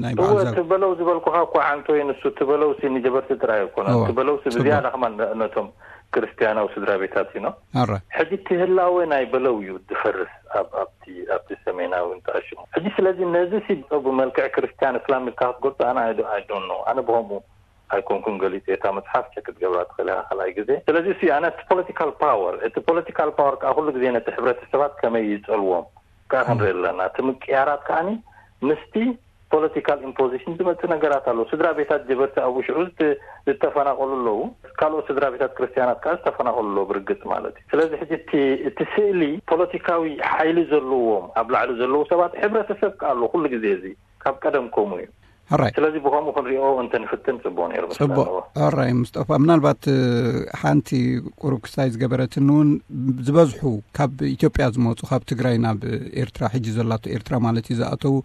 ናይ በዓል እወ፣ ዘር እቲ በለው ዝበልኩኻ እኮ ዓንቶ እዩ ንሱ። እቲ በለው ሲ ንጀበርቲ ጥራይ ኣይኮነ። እወ። እቲ በለው ሲ ጽቡቅ። ብዝያዳ ከማን ነ-፣ ነቶም ክርስትያናዊ ስድራ ቤታት እዩ ነው። ኣረ። ሕጂ እቲ ህላወ ናይ በለው እዩ ዝፈርስ ኣብ፣ ኣብቲ፣ ኣብቲ ሰሜናዊ እንተኣሽሙ። ሕጂ ስለዚ ነዚ ሲ ብመልክዕ ክርስትያን እስላም ኢልካ ክትገልጾ ኣነ I don't፣ I don't know። ኣነ ብኸምኡ ኣይኮንኩን ገሊጽ። እታ መጽሓፍ ቸክ ክትገብራ ትኽእል ኢኻ ካልኣይ ግዜ። ስለዚ እሱ ኣነ እቲ ፖለቲካል ፓወር፣ እቲ ፖለቲካል ፓወር ከዓ ኩሉ ግዜ ነቲ ሕብረተሰባት ከመይ ይጸልዎም ከዓ ክንርኢ ኣለና። እቲ ምቅያራት ከዓኒ ምስቲ ፖለቲካል ኢምፖዚሽን ዝመጽእ ነገራት ኣሎ። ስድራ ቤታት ጀበርቲ ኣብኡ ሽዑ ዝተ-፣ ዝተፈናቐሉ ኣለዉ። ካልኦት ስድራ ቤታት ክርስትያናት ከዓ ዝተፈናቐሉ ኣለዉ ብርግጽ ማለት እዩ። ስለዚ ሕጂ እቲ፣ እቲ ስእሊ ፖለቲካዊ ሓይሊ ዘለዎም ኣብ ላዕሊ ዘለዉ ሰባት ሕብረተሰብ ከዓ ኣሎ ኩሉ ግዜ። እዚ ካብ ቀደም ከምኡ እዩ። ሕራይ። ስለዚ ብኸምኡ ክንሪኦ እንተንፍትን ጽቡቕ ነይሩ መስለኒ። ጽቡቕ። ሕራይ ምስጠፋ፣ ምናልባት እ፣ ሓንቲ ቁሩብ ክስታይ ዝገበረትኒ እውን፣ ዝበዝሑ ካብ ኢትዮጵያ ዝመፁ፣ ካብ ትግራይ ናብ ኤርትራ፣ ሕጂ ዘላቶ ኤርትራ ማለት እዩ፣ ዝኣተዉ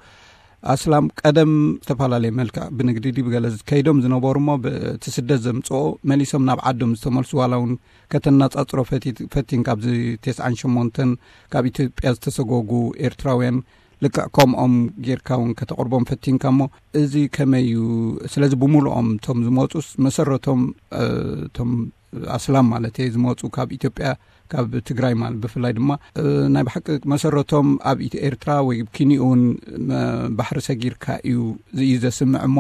ኣስላም ቀደም ዝተፈላለየ መልክዕ ብንግዲ ድዩ ብገለ ከይዶም ዝነበሩ እሞ፣ ብቲ ስደት ዘምፅኦ መሊሶም ናብ ዓዶም ዝተመልሱ፣ ዋላ እውን ከተነፃፅሮ ፈቲ-፣ ፈቲንካ ኣብዚ ተስዓን ሸሞንተን ካብ ኢትዮጵያ ዝተሰጎጉ ኤርትራውያን ልክዕ ከምኦም ጌርካ እውን ከተቕርቦም ፈቲንካ እሞ፣ እዚ ከመይ እዩ? ስለዚ ብምሉኦም እቶም ዝመፁስ መሰረቶም፣ እ፣ እቶም ኣስላም ማለት እየ ዝመፁ ካብ ኢትዮጵያ፣ ካብ ትግራይ ማለት ብፍላይ ድማ፣ እ፣ ናይ ብሓቂ መሰረቶም ኣብ ኢት-፣ ኤርትራ ወይ ኪንኡ እውን መ-፣ ባሕሪ ሰጊርካ እዩ፣ እዚ እዩ ዘስምዕ እሞ፣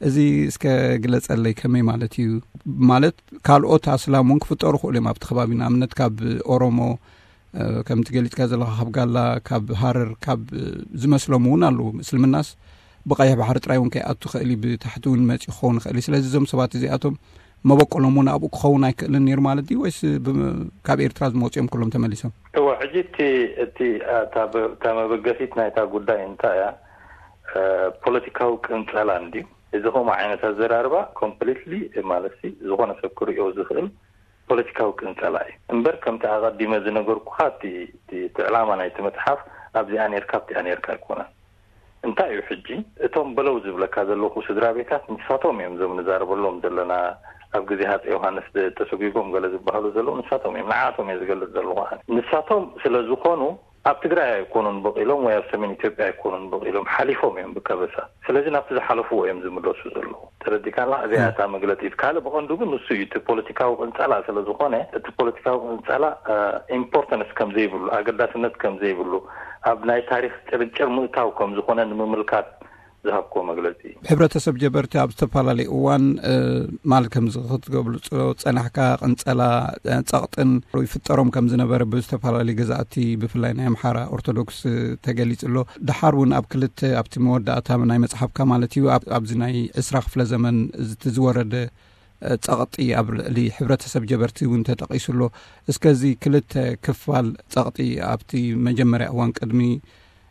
እዚ እስከ ግለጸለይ ከመይ ማለት እዩ? ማለት ካልኦት ኣስላም እውን ክፍጠሩ ክእሉ እዮም ኣብቲ ከባቢ፣ ንኣብነት ካብ ኦሮሞ፣ እ፣ ከምቲ ገሊጽካ ዘለኻ ካብ ጋላ፣ ካብ ሃረር፣ ካብ፣ እ፣ ዝመስሎም እውን ኣለዉ። እስልምናስ ብቐይሕ ባሕሪ ጥራይ እውን ከይኣቱ ክእል እዩ፣ ብታሕቲ እውን መጺኡ ክኸውን ይኽእል እዩ። ስለዚ እዞም ሰባት እዚኣቶም መበቆሎም እውን ኣብኡ ክኸውን ኣይክእልን ነይሩ ማለት ድዩ? ወይስ ብ-፣ ካብ ኤርትራ ዝመጹ እዮም ኩሎም ተመሊሶም? እወ፣ ሕጂ እቲ፣ እቲ፣ እ፣ እታ በ-፣ እታ መበገሲት ናይታ ጉዳይ እንታይ እያ? እ፣ ፖለቲካዊ ቅንጸላ እንድዩ። እዚ ከምኡ ዓይነት ኣዘራርባ ኮምፕሊትሊ ማለት ሲ ዝኾነ ሰብ ክርእዮ ዝኽእል ፖለቲካዊ ቅንጸላ እዩ። እምበር ከምቲ ኣቐዲመ ዝነገርኩኻ እቲ፣ እቲ፣ እቲ ዕላማ ናይቲ መጽሓፍ ኣብዚኣ ኔርካ ኣብቲኣ ኔርካ ኣይኮነን። እንታይ እዩ ሕጂ? እቶም በለው ዝብለካ ዘለኹ ስድራ ቤታት ንሳቶም እዮም፣ እዞም ንዛረበሎም ዘለና ኣብ ግዜ ሃፀይ ዮሃንስ ተሰጒጎም ገለ ዝበሃሉ ዘለዉ ንሳቶም እዮም። ንዓቶም እየ ዝገልጽ ዘለኹ ኣነ። ንሳቶም ስለ ዝኾኑ ኣብ ትግራይ ኣይኮኑን በቒሎም ወይ ኣብ ሰሜን ኢትዮጵያ ኣይኮኑን በቒሎም፣ ሓሊፎም እዮም ብከበሳ። ስለዚ ናብቲ ዝሓለፍዎ እዮም ዝምለሱ ዘለዉ። ተረዲካና? እዚኣ እታ መግለጺት። ካልእ ብቐንዱ ግን ንሱ እዩ፣ እቲ ፖለቲካዊ ቅንጸላ ስለ ዝኾነ፣ እቲ ፖለቲካዊ ቅንጸላ፣ እ፣ ኢምፖርተንስ ከም ዘይብሉ፣ ኣገዳስነት ከም ዘይብሉ፣ ኣብ ናይ ታሪኽ ጭርጭር ምእታው ከም ዝኾነ ንምምልካት ዝሃብክዎ መግለጺ እዩ። ሕብረተሰብ ጀበርቲ ኣብ ዝተፈላለዩ እዋን፣ እ፣ ማል ከምዚ ክትገብሉ ጸ-፣ ጸናሕካ ቅንጸላ፣ እ፣ ጸቕጥን ይፍጠሮም ከም ዝነበረ ብዝተፈላለዩ ገዛእቲ ብፍላይ ናይ ኣምሓራ ኦርቶዶክስ ተገሊጹ ኣሎ። ደሓር እውን ኣብ ክልተ ኣብቲ መወዳእታ ናይ መጽሓፍካ ማለት እዩ ኣብ-፣ ኣብዚ ናይ ዕስራ ክፍለ ዘመን እቲ ዝወረደ፣ እ፣ ጸቕጢ ኣብ ልዕሊ ሕብረተሰብ ጀበርቲ እውን ተጠቒሱ ኣሎ። እስከ እዚ ክልተ ክፋል ጸቕጢ ኣብቲ መጀመርያ እዋን ቅድሚ፣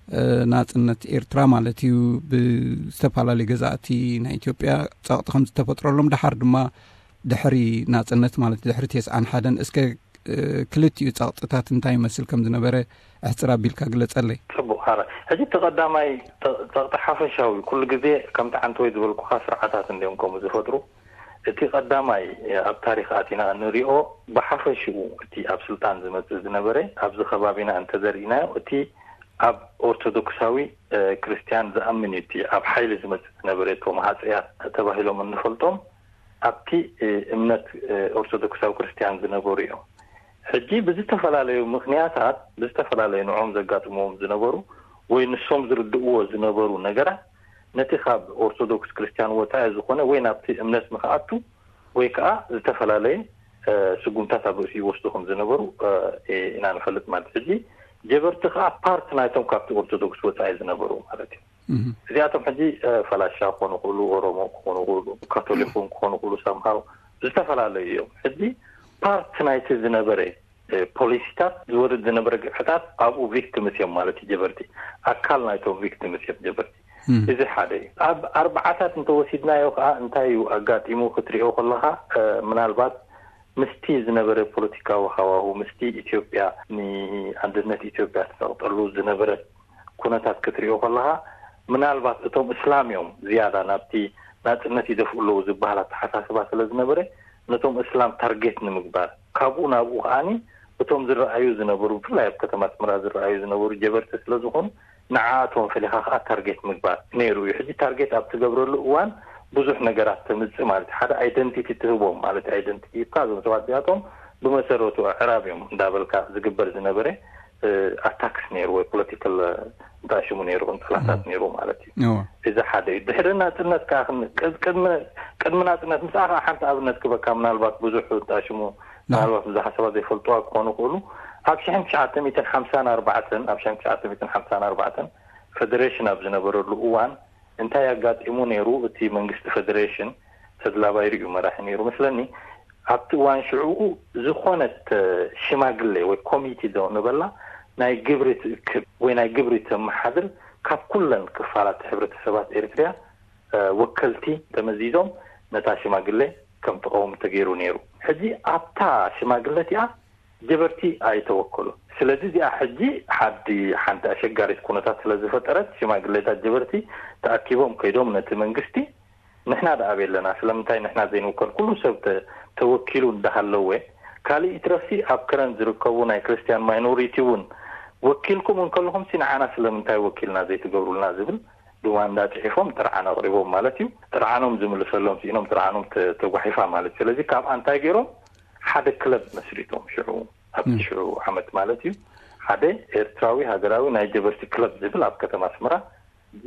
እ፣ ናጽነት ኤርትራ ማለት እዩ ብዝተፈላለዩ ገዛእቲ ናይ ኢትዮጵያ ጸቕጢ ከም ዝተፈጥረሎም፣ ደሓር ድማ ድሕሪ ናጽነት ማለት ድሕሪ ተስዓን ሓደን እስከ፣ እ፣ ክልቲኡ ጸቕጥታት እንታይ ይመስል ከም ዝነበረ ኣሕጽር ኣቢልካ ግለጸለይ። ጽቡቕ። ሓራ ሕጂ እቲ ቀዳማይ ጸ-፣ ጸቕጢ ሓፈሻዊ ኩሉ ግዜ ከምቲ ዓንተወይ ዝበልኩኻ ስርዓታት እንዲዮም ከምኡ ዝፈጥሩ። እቲ ቀዳማይ ኣብ ታሪኽ ኣቲና እንሪኦ ብሓፈሽኡ እቲ ኣብ ስልጣን ዝመጽእ ዝነበረ ኣብዚ ከባቢና እንተዘርኢናዮ እቲ ኣብ ኦርቶዶክሳዊ፣ እ፣ ክርስትያን ዝኣምን እዩ እቲ ኣብ ሓይሊ ዝመጽእ ዝነበረ እቶም ሃጸያት ተባሂሎም እንፈልጦም ኣብቲ፣ እ፣ እምነት፣ እ፣ ኦርቶዶክሳዊ ክርስትያን ዝነበሩ እዮም። ሕጂ ብዝተፈላለዩ ምኽንያታት ብዝተፈላለዩ ንዕኦም ዘጋጥምዎም ዝነበሩ ወይ ንሶም ዝርድእዎ ዝነበሩ ነገራት ነቲ ካብ ኦርቶዶክስ ክርስትያን ወጻኢ ዝኾነ ወይ ናብቲ እምነት ንኽኣቱ ወይ ከዓ ዝተፈላለየ፣ እ፣ ስጉምታት ኣብ ርእሲ ይወስዱ ከም ዝነበሩ፣ እ፣ ኢና ንፈልጥ ማለት። ሕጂ ጀበርቲ ከዓ ፓርት ናይቶም ካብቲ ኦርቶዶክስ ወጻኢ ዝነበሩ ማለት እዩ። እዚኣቶም ሕጂ፣ እ፣ ፈላሻ ክኾኑ ይኽእሉ፣ ኦሮሞ ክኾኑ ይኽእሉ፣ ካቶሊክ እውን ክኾኑ ይኽእሉ፣ ሳምሃው ዝተፈላለዩ እዮም። ሕጂ ፓርት ናይቲ ዝነበረ፣ እ፣ ፖሊሲታት ዝወርድ ዝነበረ ግፍዕታት ኣብኡ ቪክቲምስ እዮም ማለት እዩ ጀበርቲ። ኣካል ናይቶም ቪክቲምስ እዮም ጀበርቲ። እዚ ሓደ እዩ። ኣብ ኣርባዓታት እንተወሲድናዮ ከዓ እንታይ እዩ ኣጋጢሙ ክትሪኦ ከለኻ፣ እ፣ ምናልባት ምስቲ ዝነበረ ፖለቲካዊ ሃዋሁ፣ ምስቲ ኢትዮጵያ ንኣንድነት ኢትዮጵያ ትጸቕጠሉ ዝነበረት ኩነታት ክትሪኦ ከለኻ፣ ምናልባት እቶም እስላም እዮም ዝያዳ ናብቲ ናጽነት ይደፍኡ ኣለዉ ዝበሃል ኣተሓሳስባ ስለ ዝነበረ፣ ነቶም እስላም ታርጌት ንምግባር፣ ካብኡ ናብኡ ከኣኒ እቶም ዝረኣዩ ዝነበሩ፣ ብፍላይ ኣብ ከተማ ኣስመራ ዝረኣዩ ዝነበሩ ጀበርቲ ስለ ዝኾኑ፣ ንዓኣቶም ፈሊኻ ከኣ ታርጌት ምግባር ነይሩ እዩ። ሕጂ ታርጌት ኣብ ትገብረሉ እዋን ብዙሕ ነገራት ተምጽእ ማለት እዩ። ሓደ ኣይደንቲቲ ትህቦም ማለት እዩ። ኣይደንቲቲ ሂብካ፣ እዞም ሰባት እዚኣቶም ብመሰረቱ ኣዕራብ እዮም እንዳበልካ ዝግበር ዝነበረ፣ እ፣ ኣታክስ ነይሩ ወይ ፖለቲካል፣ እ፣ እንታይ ሽሙ ነይሩ፣ ቅንጸላታት ነይሩ ማለት እዩ። እወ። እዚ ሓደ እዩ። ድሕሪ ናጽነት ከኣ ክን-፣ ቅድ-፣ ቅድሚ፣ ቅድሚ ናጽነት ምስኣ ከኣ ሓንቲ ኣብነት ክበካ፣ ምናልባት ብዙሕ እንታይ ሽሙ፣ ምናልባት ብዙሓት ሰባት ዘይፈልጥዋ ክኾኑ ይኽእሉ። ኣብ ሽሕን ትሽዓተ ሚእትን ሓምሳን ኣርባዕተን፣ ኣብ ሽሕን ትሽዓተ ሚእትን ሓምሳን ኣርባዕተን ፈደሬሽን ኣብ ዝነበረሉ እዋን እንታይ ኣጋጢሙ ነይሩ? እቲ መንግስቲ ፈደሬሽን ተድላ ባይሩ እዩ መራሒ ነይሩ መስለኒ። ኣብቲ እዋን ሽዑኡ ዝኾነት፣ እ፣ ሽማግሌ ወይ ኮሚቴ ዶ ንበላ ናይ ግብሪ ትእክብ ወይ ናይ ግብሪ ተመሓድር ካብ ኩለን ክፋላት ሕብረተሰባት ኤርትርያ፣ እ፣ ወከልቲ ተመዚዞም ነታ ሽማግሌ ከም ትቐውም ተገይሩ ነይሩ። ሕጂ ኣብታ ሽማግለ እቲኣ ጀበርቲ ኣይተወከሉን። ስለዚ እዚኣ ሕጂ ሓዲ ሓንቲ ኣሸጋሪት ኩነታት ስለ ዝፈጠረት ሽማግሌታት ጀበርቲ ተኣኪቦም ከይዶም ነቲ መንግስቲ ንሕና ደኣ ኣበይ ኣለና? ስለምንታይ ንሕና ዘይንውከል? ኩሉ ሰብ ተ-፣ ተወኪሉ እንዳሃለወ፣ ካልእ ይትረፍሲ ኣብ ከረን ዝርከቡ ናይ ክርስትያን ማይኖሪቲ እውን ወኪልኩም እንከለኹምሲ ንዓና ስለምንታይ ወኪልና ዘይትገብሩልና ዝብል ድማንዳ ጽሒፎም ጥርዓን ኣቕሪቦም ማለት እዩ። ጥርዓኖም ዝምልሰሎም ስኢኖም ጥርዓኖም ተ-፣ ተጓሒፋ ማለት እዩ። ስለዚ ካብኣ እንታይ ገይሮም? ሓደ ክለብ መስሪቶም ሽዑ፣ ኣብቲ እም። ሽዑ ዓመት ማለት እዩ። ሓደ ኤርትራዊ ሃገራዊ ናይ ጀበርቲ ክለብ ዝብል ኣብ ከተማ ኣስመራ፣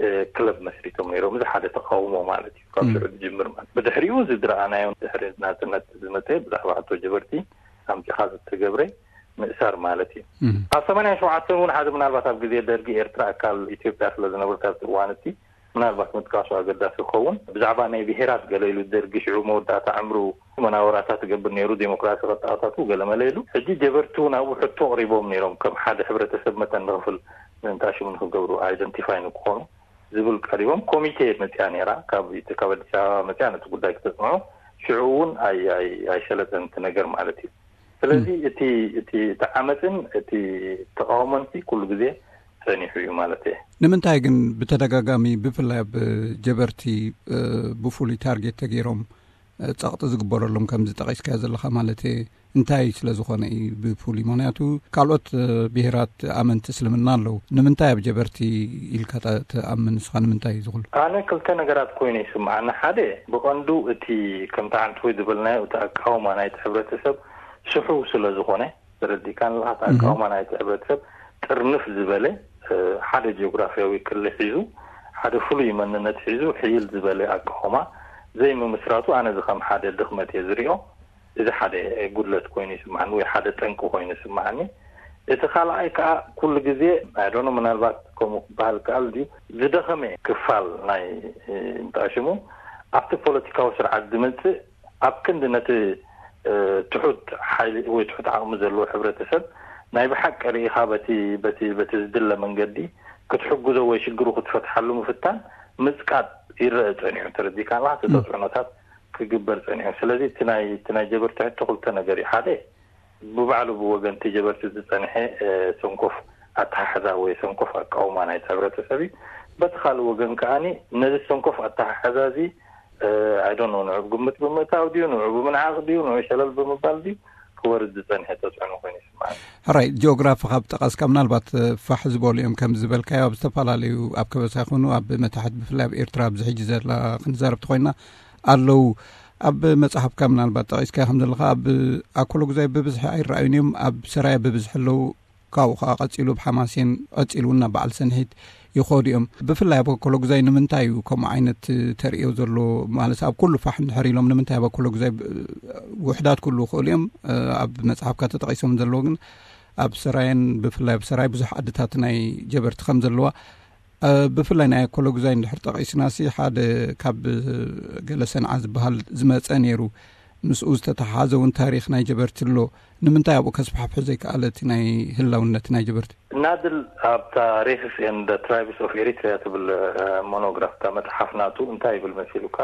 እ፣ ክለብ መስሪቶም ነይሮም። እዚ ሓደ ተቃውሞ ማለት እዩ፣ ካብ እም። ሽዑ ዝጅምር ማለት። ብድሕሪኡ እዚ ዝረኣናዮ ድሕሪ ናጽነት ዝመጸ ብዛዕባ ሕቶ ጀበርቲ ኣምጺኻ ዝተገብረ ምእሳር ማለት እዩ። እም። ኣብ ሰማንያን ሸውዓተን እውን ሓደ ምናልባት ኣብ ግዜ ደርጊ ኤርትራ ኣካል ኢትዮጵያ ስለ ዝነበረት ኣብቲ እዋን እቲ ምናልባት ምጥቃሱ ኣገዳሲ ክኸውን። ብዛዕባ ናይ ብሄራት ገለ ኢሉ ደርጊ ሽዑ መወዳእታ ዕምሩ መናወራታት ትገብር ነይሩ፣ ዴሞክራሲ ከተኣታቱ ገለ መለ ኢሉ። ሕጂ ጀበርቲ እውን ኣብኡ ሕቶ ኣቕሪቦም ነይሮም፣ ከም ሓደ ሕብረተሰብ መጠን ንኽፍል ምእንታሽሙ ንኽገብሩ፣ ኣይደንቲፋይ ንክኾኑ ዝብል ቀሪቦም። ኮሚቴ መፅያ ነይራ፣ ካብ፣ ካብ ኣዲስ ኣበባ መፅያ ነቲ ጉዳይ ክተፅንዖ። ሽዑ እውን ኣይ-፣ ኣይ-፣ ኣይሰለጠን እቲ ነገር ማለት እዩ። ስለዚ እም። እቲ፣ እቲ፣ እቲ ዓመፅን እቲ ተቃውሞን ኩሉ ግዜ ጸኒሑ እዩ ማለት እየ። ንምንታይ ግን ብተደጋጋሚ ብፍላይ ኣብ ጀበርቲ፣ እ፣ ብፍሉይ ታርጌት ተገይሮም፣ እ፣ ጸቕጢ ዝግበረሎም ከምዚ ጠቒስካዮ ዘለኻ ማለት እየ? እንታይ ስለ ዝኾነ እዩ ብፍሉይ? ምኽንያቱ ካልኦት፣ እ፣ ብሄራት ኣመንቲ እስልምና ኣለዉ። ንምንታይ ኣብ ጀበርቲ ኢልካ ተ-፣ ትኣምን ንስኻ? ንምንታይ እዩ ዝኹሉ? ኣነ ክልተ ነገራት ኮይኑ ይስምዓኒ። ሓደ ብቐንዱ እቲ ከምቲ ዓንትወይ ዝበልናዮ እቲ ኣቃውማ ናይቲ ሕብረተሰብ ስሑው ስለ ዝኾነ፣ ተረዲእካን ኣለኻ? እቲ እህ። ኣቃውማ ናይቲ ሕብረተሰብ ጥርንፍ ዝበለ፣ እ፣ ሓደ ጂኦግራፊያዊ ክሊ ሒዙ፣ ሓደ ፍሉይ መንነት ሒዙ ሕይል ዝበለ ኣቃውማ ዘይምምስራቱ ኣነ እዚ ከም ሓደ ድኽመት እየ ዝሪኦ። እዚ ሓደ ጉድለት ኮይኑ ይስምዓኒ ወይ ሓደ ጠንቂ ኮይኑ ይስምዓኒ። እቲ ካልኣይ ከኣ ኩሉ ግዜ፣ I don't know፣ ምናልባት ከምኡ ክበሃል ከኣል ድዩ፣ ዝደኸመ ክፋል ናይ፣ እ፣ እንታይ ሽሙ፣ ኣብቲ ፖለቲካዊ ስርዓት ዝመጽእ ኣብ ክንዲ ነቲ፣ እ፣ ትሑት ሓይሊ ወይ ትሑት ዓቕሚ ዘለዎ ሕብረተሰብ ናይ ብሓቂ ርኢኻ በቲ፣ በቲ፣ በቲ ዝድለ መንገዲ ክትሕግዞ ወይ ሽግሩ ክትፈትሓሉ ምፍታን ምጽቃጥ ይረአ ጸኒሑ። ተረዲእካ ኣለኻ? እቲ ም። ተጽዕኖታት ክግበር ጸኒሑ። ስለዚ እቲ ናይ፣ እቲ ናይ ጀበርቲ ሕቶ ክልተ ነገር እዩ። ሓደ፣ ብባዕሉ ብወገንቲ ጀበርቲ ዝጸንሐ፣ እ፣ ሰንኮፍ ኣተሓሕዛ ወይ ሰንኮፍ ኣቃውማ ናይቲ ሕብረተሰብ እዩ። በቲ ካልእ ወገን ከኣኒ ነዚ ሰንኮፍ ኣተሓሕዛ እዚ፣ እ፣ I don't know፣ ንዑ ብግምት ብምእታው ድዩ፣ ንዑ ብምንዓቕ ድዩ፣ ንዑ ሸለል ብምባል ድዩ ክወርድ ዝጸንሐ ተጽዕኖ ኮይኑ ይስምዓኒ። ሕራይ፣ ጂኦግራፊ ካብ ጠቐስካ ምናልባት፣ እ፣ ፋሕ ዝበሉ እዮም ከም ዝበልካዮ ኣብ ዝተፈላለዩ ኣብ ከበሳ ይኹኑ ኣብ መታሕት ብፍላይ ኣብ ኤርትራ ኣብዚ ሕጂ ዘላ ክንዛረብ ተኾይና ኣለዉ። ኣብ መጽሓፍካ ምናልባት ጠቒስካዮ ከም ዘለኻ ኣብ ኣኮሎጉዛይ ብብዝሒ ኣይረኣዩን እዮም፣ ኣብ ሰራየ ብብዝሒ ኣለዉ። ካብኡ ኸዓ ቀጺሉ ብ ሓማሴን፣ ቀጺሉ እውን ናብ በዓል ሰንሒት ይኸዱ እዮም። ብፍላይ ኣብ ኣኮሎጉዛይ ንምንታይ እዩ ከምኡ ዓይነት ተርእዮ ዘሎ? ማለት ኣብ ኩሉ ፋሕ እንድሕር ኢሎም ንምንታይ ኣብ ኣኮሎጉዛይ ብ-፣ ውሑዳት ክህልዉ ይኽእሉ እዮም። ኣብ መጽሓፍካ ተጠቒሶም ዘለዉ ግን ኣብ ሰራየን ብፍላይ ኣብ ሰራይ ብዙሕ ዓድታት ናይ ጀበርቲ ከም ዘለዋ፣ እ፣ ብፍላይ ናይ ኣኮሎጉዛይ እንድሕር ጠቒስናሲ ሓደ ካብ ገለ ሰንዓ ዝበሃል ዝመጸ ነይሩ። ምስኡ ዝተተሓሓዘ እውን ታሪኽ ናይ ጀበርቲ ኣሎ። ንምንታይ ኣብኡ ከስፋሕፍሕ ዘይከኣለ እቲ ናይ ህላውነት ናይ ጀበርቲ? ናድል ኣብ ታሪኽስ ኤንድ ትራይብስ ኦፍ ኤሪትሪያ ትብል፣ እ፣ ሞኖግራፍ፣ እታ መጽሓፍ ናቱ እንታይ ይብል መሲሉካ?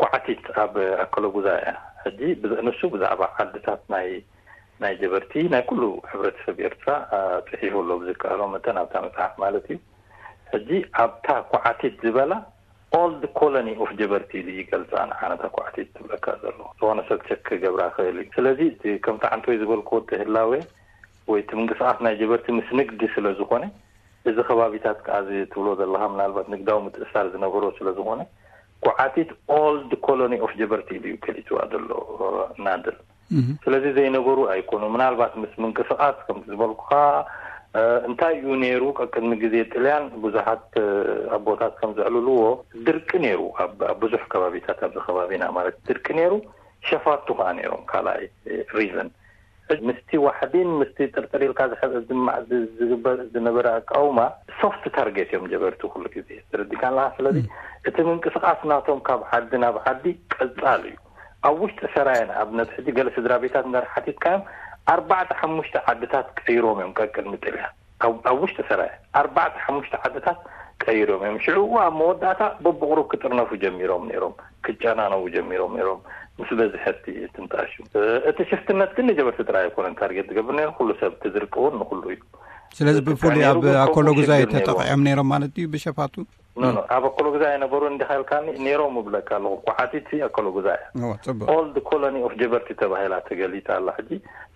ኳዕቲት ኣብ ኣከለጉዛ እያ። ሕጂ ንሱ ብዛዕባ ዓድታት ናይ ናይ ጀበርቲ ናይ ኩሉ ሕብረተሰብ ኤርትራ ጽሒፉ ኣሎ፣ ብዝከኣሎ መጠን ኣብታ መጽሓፍ ማለት እዩ። ሕጂ ኣብታ ኳዕቲት ዝበላ ኦልድ ኮሎኒ ኦፍ ጀበርቲ ኢሉ ይገልጻ። ንዓነታ ኳዕቲት ትብለካ ዘሎ ዝኾነ ሰብ ቸክ ክገብራ ክእል እዩ። ስለዚ ከምቲ ዓንቶይ ዝበልክዎ እቲ ህላዌ ወይ እቲ ምንቅስቃስ ናይ ጀበርቲ ምስ ንግዲ ስለ ዝኾነ፣ እዚ ከባቢታት ከኣ እዚ ትብሎ ዘለኻ ምናልባት ንግዳዊ ምትእሳር ዝነበሮ ስለ ዝኾነ፣ ኳዕቲት ኦልድ ኮሎኒ ኦፍ ጀበርቲ ኢሉ እዩ ገሊጽዋ ዘሎ ናድር። ስለዚ ዘይነበሩ ኣይኮኑ። ምናልባት ምስ ምንቅስቃስ ከምቲ ዝበልኩኻ እንታይ እዩ ነይሩ፣ ቀቅድሚ ግዜ ጥልያን ብዙሓት ኣቦታት ከም ዘዕልልዎ ድርቂ ነይሩ ኣብ ብዙሕ ከባቢታት ኣብዚ ከባቢና ማለት ድርቂ ነይሩ። ሸፋቱ ከዓ ነይሮም። ካልኣይ ሪዝን ምስቲ ዋሕዲን ምስቲ ጥርጥር ኢልካ ዝግበር ዝነበረ ኣቃውማ ሶፍት ታርጌት እዮም ጀበርቲ ኩሉ ግዜ ትርዲካ ኣለካ። ስለዚ እቲ ምንቅስቃስ ናቶም ካብ ዓዲ ናብ ዓዲ ቀጻል እዩ። ኣብ ውሽጢ ሰራየ ንኣብነት ሕጂ ገለ ስድራ ቤታት እንዳር ሓቲትካዮም ኣርባዕተ ሓሙሽተ ዓድታት ቀይሮም እዮም ቀቅድሚ ጥልያን ኣብ ውሽጢ ሰራየ ኣርባዕተ ሓሙሽተ ዓድታት ቀይሮም እዮም። ሽዑ ኣብ መወዳእታ በብቕሩብ ክጥርነፉ ጀሚሮም ነይሮም፣ ክጨናነቡ ጀሚሮም ነይሮም ምስ በዝሐ እቲ ትንጣሽ። እቲ ሽፍትነት ግን ንጀበርቲ ጥራይ ኣይኮነን ታርጌት ዝገብር ነይሩ፣ ኩሉ ሰብ ትዝርቂ እውን ንኩሉ እዩ። ስለዚ ብፍሉይ ኣብ ኣኮሎጉዛይ ተጠቂዖም ነይሮም ማለት እዩ ብሸፋቱ? ኖ ኖ፣ ኣብ ኣኮሎጉዛይ የነበሩ እንዲኻ ኢልካኒ ነይሮም እብለካ ኣለኹ። ኳዕቲት ኣኮሎጉዛይ እያ። ጽቡቅ። ኦልድ ኮሎኒ ኦፍ ጀበርቲ ተባሂላ ተገሊጻ ኣላ። ሕጂ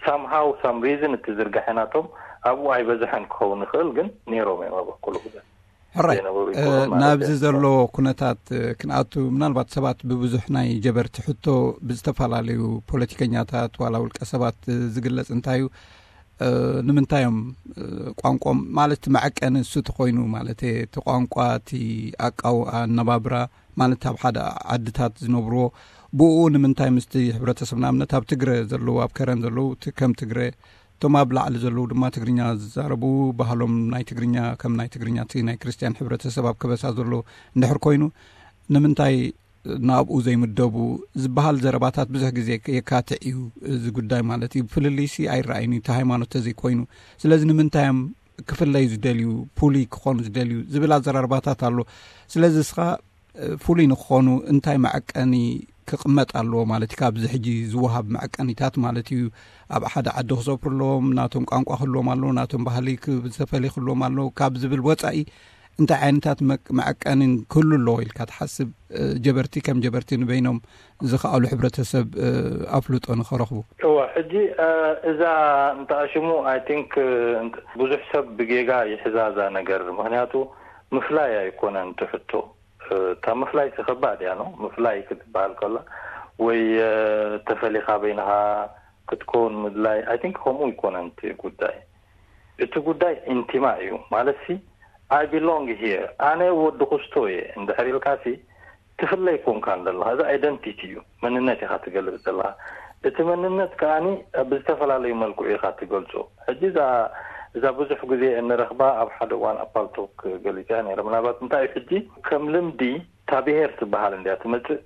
ሳምሃው ሳም ሪዝን እቲ ዝርጋሐ ናቶም ኣብኡ ኣይበዝሐን ክኸውን ይኽእል፣ ግን ነይሮም እዮም ኣብ ኣኮሎጉዛይ። ሕራይ ናብዚ ዘሎ ኩነታት ክንኣቱ ምናልባት ሰባት ብብዙሕ ናይ ጀበርቲ ሕቶ ብዝተፈላለዩ ፖለቲከኛታት ዋላ ውልቀ ሰባት ዝግለጽ እንታይ እዩ? ንምንታይ እዮም ቋንቋም ማለት መዐቀኒ እሱ ተኮይኑ ማለት እቲ ቋንቋ እቲ ኣቃው ኣነባብራ ማለት ኣብ ሓደ ዓድታት ዝነብርዎ ብኡ ንምንታይ ምስቲ ሕብረተሰብ ንኣብነት ኣብ ትግረ ዘለዉ ኣብ ከረን ዘለዉ ከም ትግረ እቶም ኣብ ላዕሊ ዘለዉ ድማ ትግርኛ ዝዛረቡ ባህሎም ናይ ትግርኛ ከም ናይ ትግርኛ እቲ ናይ ክርስትያን ሕብረተሰብ ኣብ ከበሳ ዘሎ እንድሕር ኮይኑ ንምንታይ ናብኡ ዘይምደቡ ዝበሃል ዘረባታት ብዙሕ ግዜ የካትዕ እዩ። እዚ ጉዳይ ማለት እዩ ፍልልይሲ ኣይረኣይን እዩ እቲ ሃይማኖት ተዘይኮይኑ። ስለዚ ንምንታይ እዮም ክፍለዩ ዝደልዩ ፍሉይ ክኾኑ ዝደልዩ ዝብል ኣዘራርባታት ኣሎ። ስለዚ እስኻ ፍሉይ ንክኾኑ እንታይ መዐቀኒ ክቕመጥ ኣለዎ ማለት እዩ? ካብዚ ሕጂ ዝወሃብ መዐቀኒታት ማለት እዩ ኣብ ሓደ ዓዲ ክሰፍሩ ኣለዎም፣ ናቶም ቋንቋ ክህልዎም ኣለዎ፣ ናቶም ባህሊ ዝተፈለየ ክህልዎም ኣለዎ ካብ ዝብል ወፃኢ እንታይ ዓይነታት መዐቀንን ክህሉ ኣለዎ ኢልካ ትሓስብ? ጀበርቲ ከም ጀበርቲ ንበይኖም ዝኸኣሉ ሕብረተሰብ ኣፍልጦ ንኸረኽቡ። እዋ ሕጂ እዛ እንተኣሽሙ ኣይ ቲንክ ብዙሕ ሰብ ብጌጋ ይሕዛዛ ነገር ምክንያቱ ምፍላይ ኣይኮነን ትሕቶ። እታ ምፍላይ ተኸባድ እያ ነው ምፍላይ ክትበሃል ከላ ወይ ተፈሊኻ በይንኻ ክትከውን ምድላይ ኣይ ቲንክ ከምኡ ይኮነን እቲ ጉዳይ። እቲ ጉዳይ ኢንቲማ እዩ ማለት ሲ I belong here ኣነ ወዲ ኩስቶ እየ እንድሕር ኢልካ ሲ ትፍለይ ኮንካ ዘለኻ እዚ ኣይደንቲቲ እዩ መንነት ኢኻ ትገልጽ ዘለኻ። እቲ መንነት ከኣኒ ብዝተፈላለዩ መልክዑ ኢኻ ትገልጾ። ሕጂ እዛ እዛ ብዙሕ ግዜ እንረኽባ ኣብ ሓደ እዋን ኣብ ፓልቶክ ገሊጸያ ነይረ። ምናልባት እንታይ እዩ ሕጂ ከም ልምዲ እታ ብሄር ትበሃል እንድያ ትመጽእ።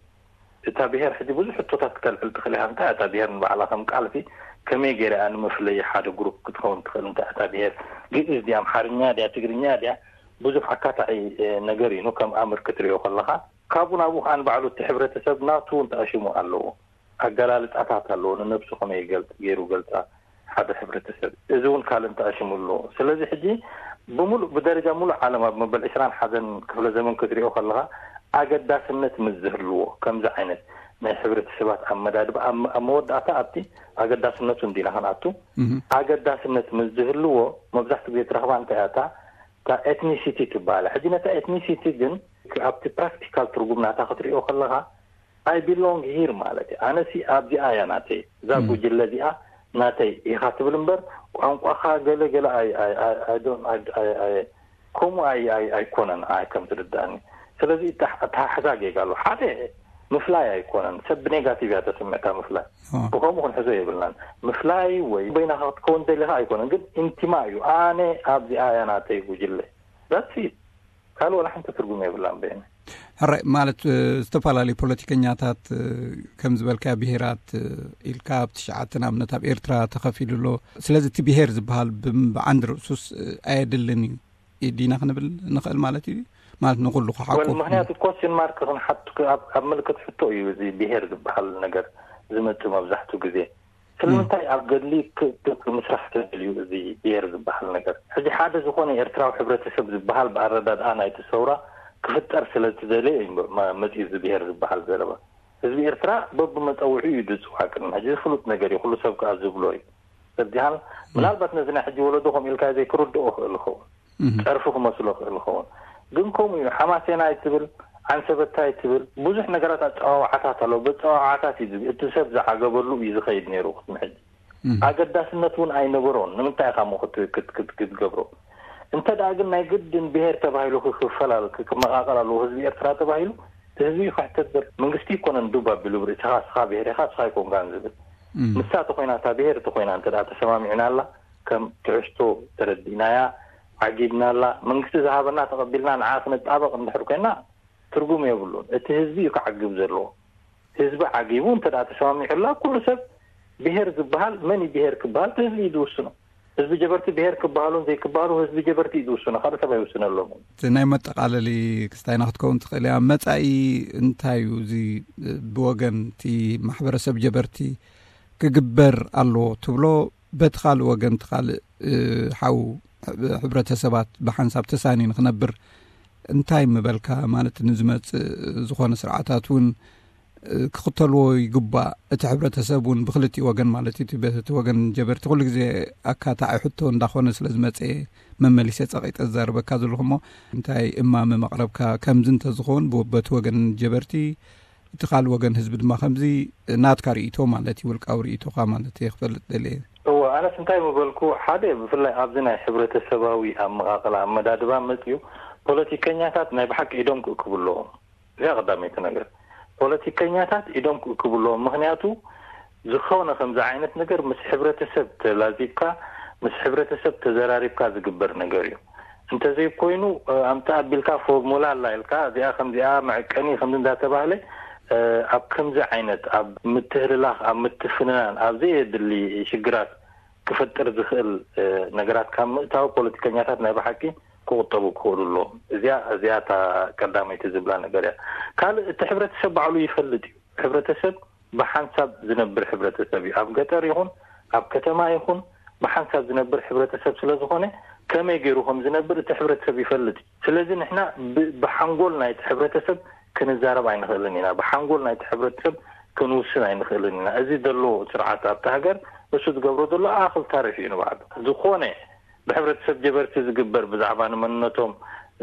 እታ ብሄር ሕጂ ብዙሕ ሕቶታት ክተልዕል ትኽእል ኢኻ። እንታይ እታ ብሄር ንባዕላ ከም ቃልሲ ከመይ ገይራ እያ ንምፍለይ ሓደ ግሩፕ ክትኸውን ትኽእል? እንታይ እታ ብሄር ግእዝ ድያ ኣምሓርኛ ድያ ትግርኛ ድያ? ብዙሕ ኣካታዒ ነገር እዩ ከም ኣምር ክትሪኦ ከለኻ። ካብኡ ናብኡ ከዓ ንባዕሉ እቲ ሕብረተሰብ ናቱ እውን ተኣሽሙ ኣለዎ። ኣገላልፃታት ኣለዎ። ንነብሱ ከመይ ይገልፅ ገይሩ ገልፃ ሓደ ሕብረተሰብ እዚ እውን ካልእ ተኣሽሙ ኣለዎ። ስለዚ ሕጂ ብምሉእ ብደረጃ ሙሉእ ዓለም ኣብ መበል ዕስራን ሓደን ክፍለ ዘመን ክትሪኦ ከለኻ ኣገዳስነት ምስ ዝህልዎ ከምዚ ዓይነት ናይ ሕብረተሰባት ኣመዳድባ ኣብ መወዳእታ ኣብቲ ኣገዳስነቱ እንዲና ክንኣቱ ኣገዳስነት ምስ ዝህልዎ መብዛሕትኡ ግዜ ትረኽባ እንታይ እያ እታ ኤትኒሲቲ ትበሃል። ሕጂ ነታ ኤትኒሲቲ ግን ኣብቲ ፕራክቲካል ትርጉም ናታ ክትሪኦ ከለኻ I belong here ማለት እዩ። ኣነሲ ኣብዚኣ እያ ናተይ፣ እዛ ጉጅለ እዚኣ ናተይ ኢኻ ትብል እምበር ቋንቋኻ ገለ ገለ ከምኡ ኣይኮነን ኣይ ከም ትርዳእኒ። ስለዚ ተሓሕዛ ጌጋ ኣሎ። ሓደ ምፍላይ ኣይኮነን፣ ሰብ ብኔጋቲቭ እያ ተስምዕታ ምፍላይ። ብከምኡ ክንሕዞ የብልናን። ምፍላይ ወይ በይናኻ ክትከውን ደሊኻ ኣይኮነን፣ ግን ኢንቲማ እዩ። ኣነ ኣብዚኣ እያ ናተይ ጉጅለ ዳትስ ካልእ ዋላ ሓንቲ ትርጉም የብላን በይነ። ሕራይ ማለት ዝተፈላለዩ ፖለቲከኛታት ከም ዝበልካዮ ብሄራት ኢልካ ኣብ ትሽዓተ ንኣብነት ኣብ ኤርትራ ተኸፊሉ ኣሎ። ስለዚ እቲ ብሄር ዝበሃል ብዓንዲ ርእሱስ ኣየድልን እዩ ዲና ክንብል ንኽእል ማለት እዩ። ማለት ንኹሉ ክሓቁፍ? ምክንያቱ ኮስችን ማርክ ክንሓቱ ኣብ ምልክት ሕቶ እዩ እዚ ብሄር ዝበሃል ነገር ዝመጽእ መብዛሕትኡ ግዜ። ስለምንታይ ኣብ ገድሊ ምስራሕ ተደልዩ እዚ ብሄር ዝበሃል ነገር? ሕዚ ሓደ ዝኾነ ኤርትራዊ ሕብረተሰብ ዝበሃል ብኣረዳድኣ ናይቲ ሰውራ ክፍጠር ስለ ዝደለየ እዩ መፂኡ እዚ ብሄር ዝበሃል ዘረባ። ህዝቢ ኤርትራ በብመፀውዒ እዩ ዝፅዋዕ። ቅድሚ ሕጂ ፍሉጥ ነገር እዩ፣ ኩሉ ሰብ ከዓ ዝብሎ እዩ። ሰብዚሃን ምናልባት ነዚ ናይ ሕጂ ወለዶ ከም ኢልካ ዘይክርድኦ ክእል ይኸውን፣ ጸርፊ ክመስሎ ክእል ይኸውን። ግን ከምኡ እዩ፣ ሓማሴናይ ትብል፣ ዓንሰበታይ ትብል፣ ብዙሕ ነገራት ኣጸዋውዓታት ኣለዉ። በጸዋውዓታት እዩ ዝብ-፣ እቲ ሰብ ዝዓገበሉ እዩ ዝኸይድ ነይሩ። ቅድሚ ሕጂ ኣገዳስነት እውን ኣይነበሮን። ንምንታይ ኢኻ እሞ ክት-፣ ክት-፣ ክት-፣ ክትገብሮ? እንተ ደኣ ግን ናይ ግድን ብሄር ተባሂሉ ክፈላለ ክመቓቐል ኣለዎ ህዝቢ ኤርትራ ተባሂሉ፣ እቲ ህዝቢ ክሕተት በር-፣ መንግስቲ ይኮነን ዱብ ኣቢሉ ብርእስኻ፣ ስኻ ብሄር ኢኻ፣ ስኻ ኣይኮንካን ዝብል። ንሳ ተኾይና፣ እታ ብሄር ተኾይና እንተ ደኣ ተሰማሚዕናላ፣ ከም ትሕዝቶ ተረዲእናያ፣ ዓጊብናላ፣ መንግስቲ ዝሃበና ተቐቢልና ንዓ ክንጣበቕ እንድሕር ኮይና፣ ትርጉም የብሉን። እቲ ህዝቢ እዩ ክዓግብ ዘለዎ። ህዝቢ ዓጊቡ እንተ ደኣ ተሰማሚዑላ፣ ኩሉ ሰብ ብሄር ዝበሃል፣ መን እዩ ብሄር ክበሃል፣ እቲ ህዝቢ እዩ ዝውስኖ። ህዝቢ ጀበርቲ ብሄር ክበሃሉን ዘይክበሃሉ ህዝቢ ጀበርቲ እዩ ዝውስኖ፣ ካልእ ሰብ ኣይውስነሎምን። እቲ ናይ መጠቓለሊ ክስታይና ክትከውን ትኽእል እያ። መጻኢ እንታይ እዩ? እዚ ብወገን እቲ ማሕበረሰብ ጀበርቲ ክግበር ኣለዎ ትብሎ፣ በቲ ካልእ ወገን እቲ ካልእ፣ እ፣ ሓው፣ ሕብረተሰባት ብሓንሳብ ተሳኒ ንክነብር እንታይ ምበልካ? ማለት ንዝመጽእ ዝኾነ ስርዓታት እውን፣ እ፣ ክኽተልዎ ይግባእ። እቲ ሕብረተሰብ እውን ብክልቲኡ ወገን ማለት እዩ፣ እቲ በቲ ወገን ጀበርቲ ኩሉ ግዜ ኣካታዒ ሕቶ እንዳኾነ ስለ ዝመጸ መመሊሰ ጸቒጠ ዝዛረበካ ዘለኹ እሞ፣ እንታይ እማመ መቕረብካ? ከምዚ እንተዝኸውን ብ-፣ በቲ ወገን ጀበርቲ፣ እቲ ካልእ ወገን ህዝቢ ድማ ከምዚ ናትካ ርእይቶ ማለት እዩ፣ ውልቃዊ ርእይቶኻ ማለት እየ ክፈልጥ ደልየ። እወ፣ ኣነስ እንታይ ምበልኩ፣ ሓደ ብፍላይ ኣብዚ ናይ ሕብረተሰባዊ ኣመቓቕላ ኣመዳድባ መጽዩ ፖለቲከኛታት ናይ ብሓቂ ኢዶም ክእክቡ ኣለዎም። እዚኣ ቀዳመይቲ ነገር። ፖለቲከኛታት ኢዶም ክእክቡ ኣለዎም። ምኽንያቱ ዝኾነ ከምዚ ዓይነት ነገር ምስ ሕብረተሰብ ተላዚብካ፣ ምስ ሕብረተሰብ ተዘራሪብካ ዝግበር ነገር እዩ። እንተዘይኮይኑ፣ እ፣ ኣምጣ ኣቢልካ ፎርሙላ ኣላ ኢልካ፣ እዚኣ ከምዚኣ መዐቀኒ ከምዚ እንዳተባህለ፣ እ፣ ኣብ ከምዚ ዓይነት፣ ኣብ ምትህልላኽ፣ ኣብ ምትፍንናን፣ ኣብ ዘየድሊ ሽግራት ክፈጥር ዝኽእል፣ እ፣ ነገራት ካብ ምእታው ፖለቲከኛታት ናይ ብሓቂ ክቑጠቡ ክኽእሉ ኣለዎም። እዚኣ፣ እዚኣ እታ ቀዳመይቲ ዝብላ ነገር እያ። ካልእ፣ እቲ ሕብረተሰብ ባዕሉ ይፈልጥ እዩ። ሕብረተሰብ ብሓንሳብ ዝነብር ሕብረተሰብ እዩ። ኣብ ገጠር ይኹን ኣብ ከተማ ይኹን ብሓንሳብ ዝነብር ሕብረተሰብ ስለ ዝኾነ፣ ከመይ ገይሩ ከም ዝነብር እቲ ሕብረተሰብ ይፈልጥ እዩ። ስለዚ ንሕና ብ-፣ ብሓንጎል ናይቲ ሕብረተሰብ ክንዛረብ ኣይንኽእልን ኢና። ብሓንጎል ናይቲ ሕብረተሰብ ክንውስን ኣይንኽእልን ኢና። እዚ ዘሎ ስርዓት ኣብቲ ሃገር እሱ ዝገብሮ ዘሎ ኣኽል ታሪፍ እዩ ንባዕሉ። ዝኾነ ብሕብረተሰብ ጀበርቲ ዝግበር ብዛዕባ ንመንነቶም፣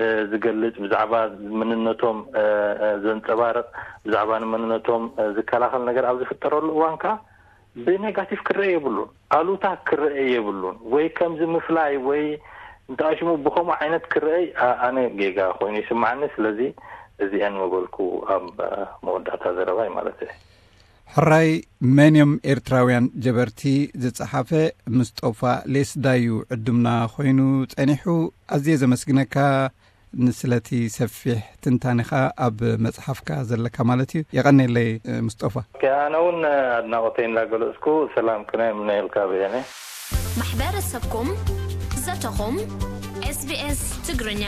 እ፣ ዝገልጽ፣ ብዛዕባ መንነቶም፣ እ፣ እ፣ ዘንጸባርቕ፣ ብዛዕባ ንመንነቶም፣ እ፣ ዝከላኸል ነገር ኣብ ዝፍጠረሉ እዋን ከኣ ብኔጋቲቭ ክረአ የብሉን፣ ኣሉታ ክረአ የብሉን። ወይ ከምዚ ምፍላይ ወይ እንተኣሽሙ ብኸምኡ ዓይነት ክረአ ኣ-፣ ኣነ ጌጋ ኮይኑ ይስምዓኒ። ስለዚ እዚአን ምበልኩ ኣብ፣ እ፣ መወዳእታ ዘረባይ ማለት እየ። ሕራይ መን እዮም ኤርትራውያን ጀበርቲ ዝጸሓፈ ምስጦፋ ሌስዳዩ ዕዱምና ኮይኑ ጸኒሑ። ኣዝየ ዘመስግነካ ንስለቲ ሰፊሕ ትንታኔኻ ኣብ መጽሓፍካ ዘለካ ማለት እዩ። የቐኔለይ ምስጦፋ። ኦኬ፣ ኣነ እውን ኣድናቖተይ እንዳገለጽኩ ሰላም ክነ እምነየልካ ብየነ። ማሕበረሰብኩም ዘተኹም ኤስቢኤስ ትግርኛ።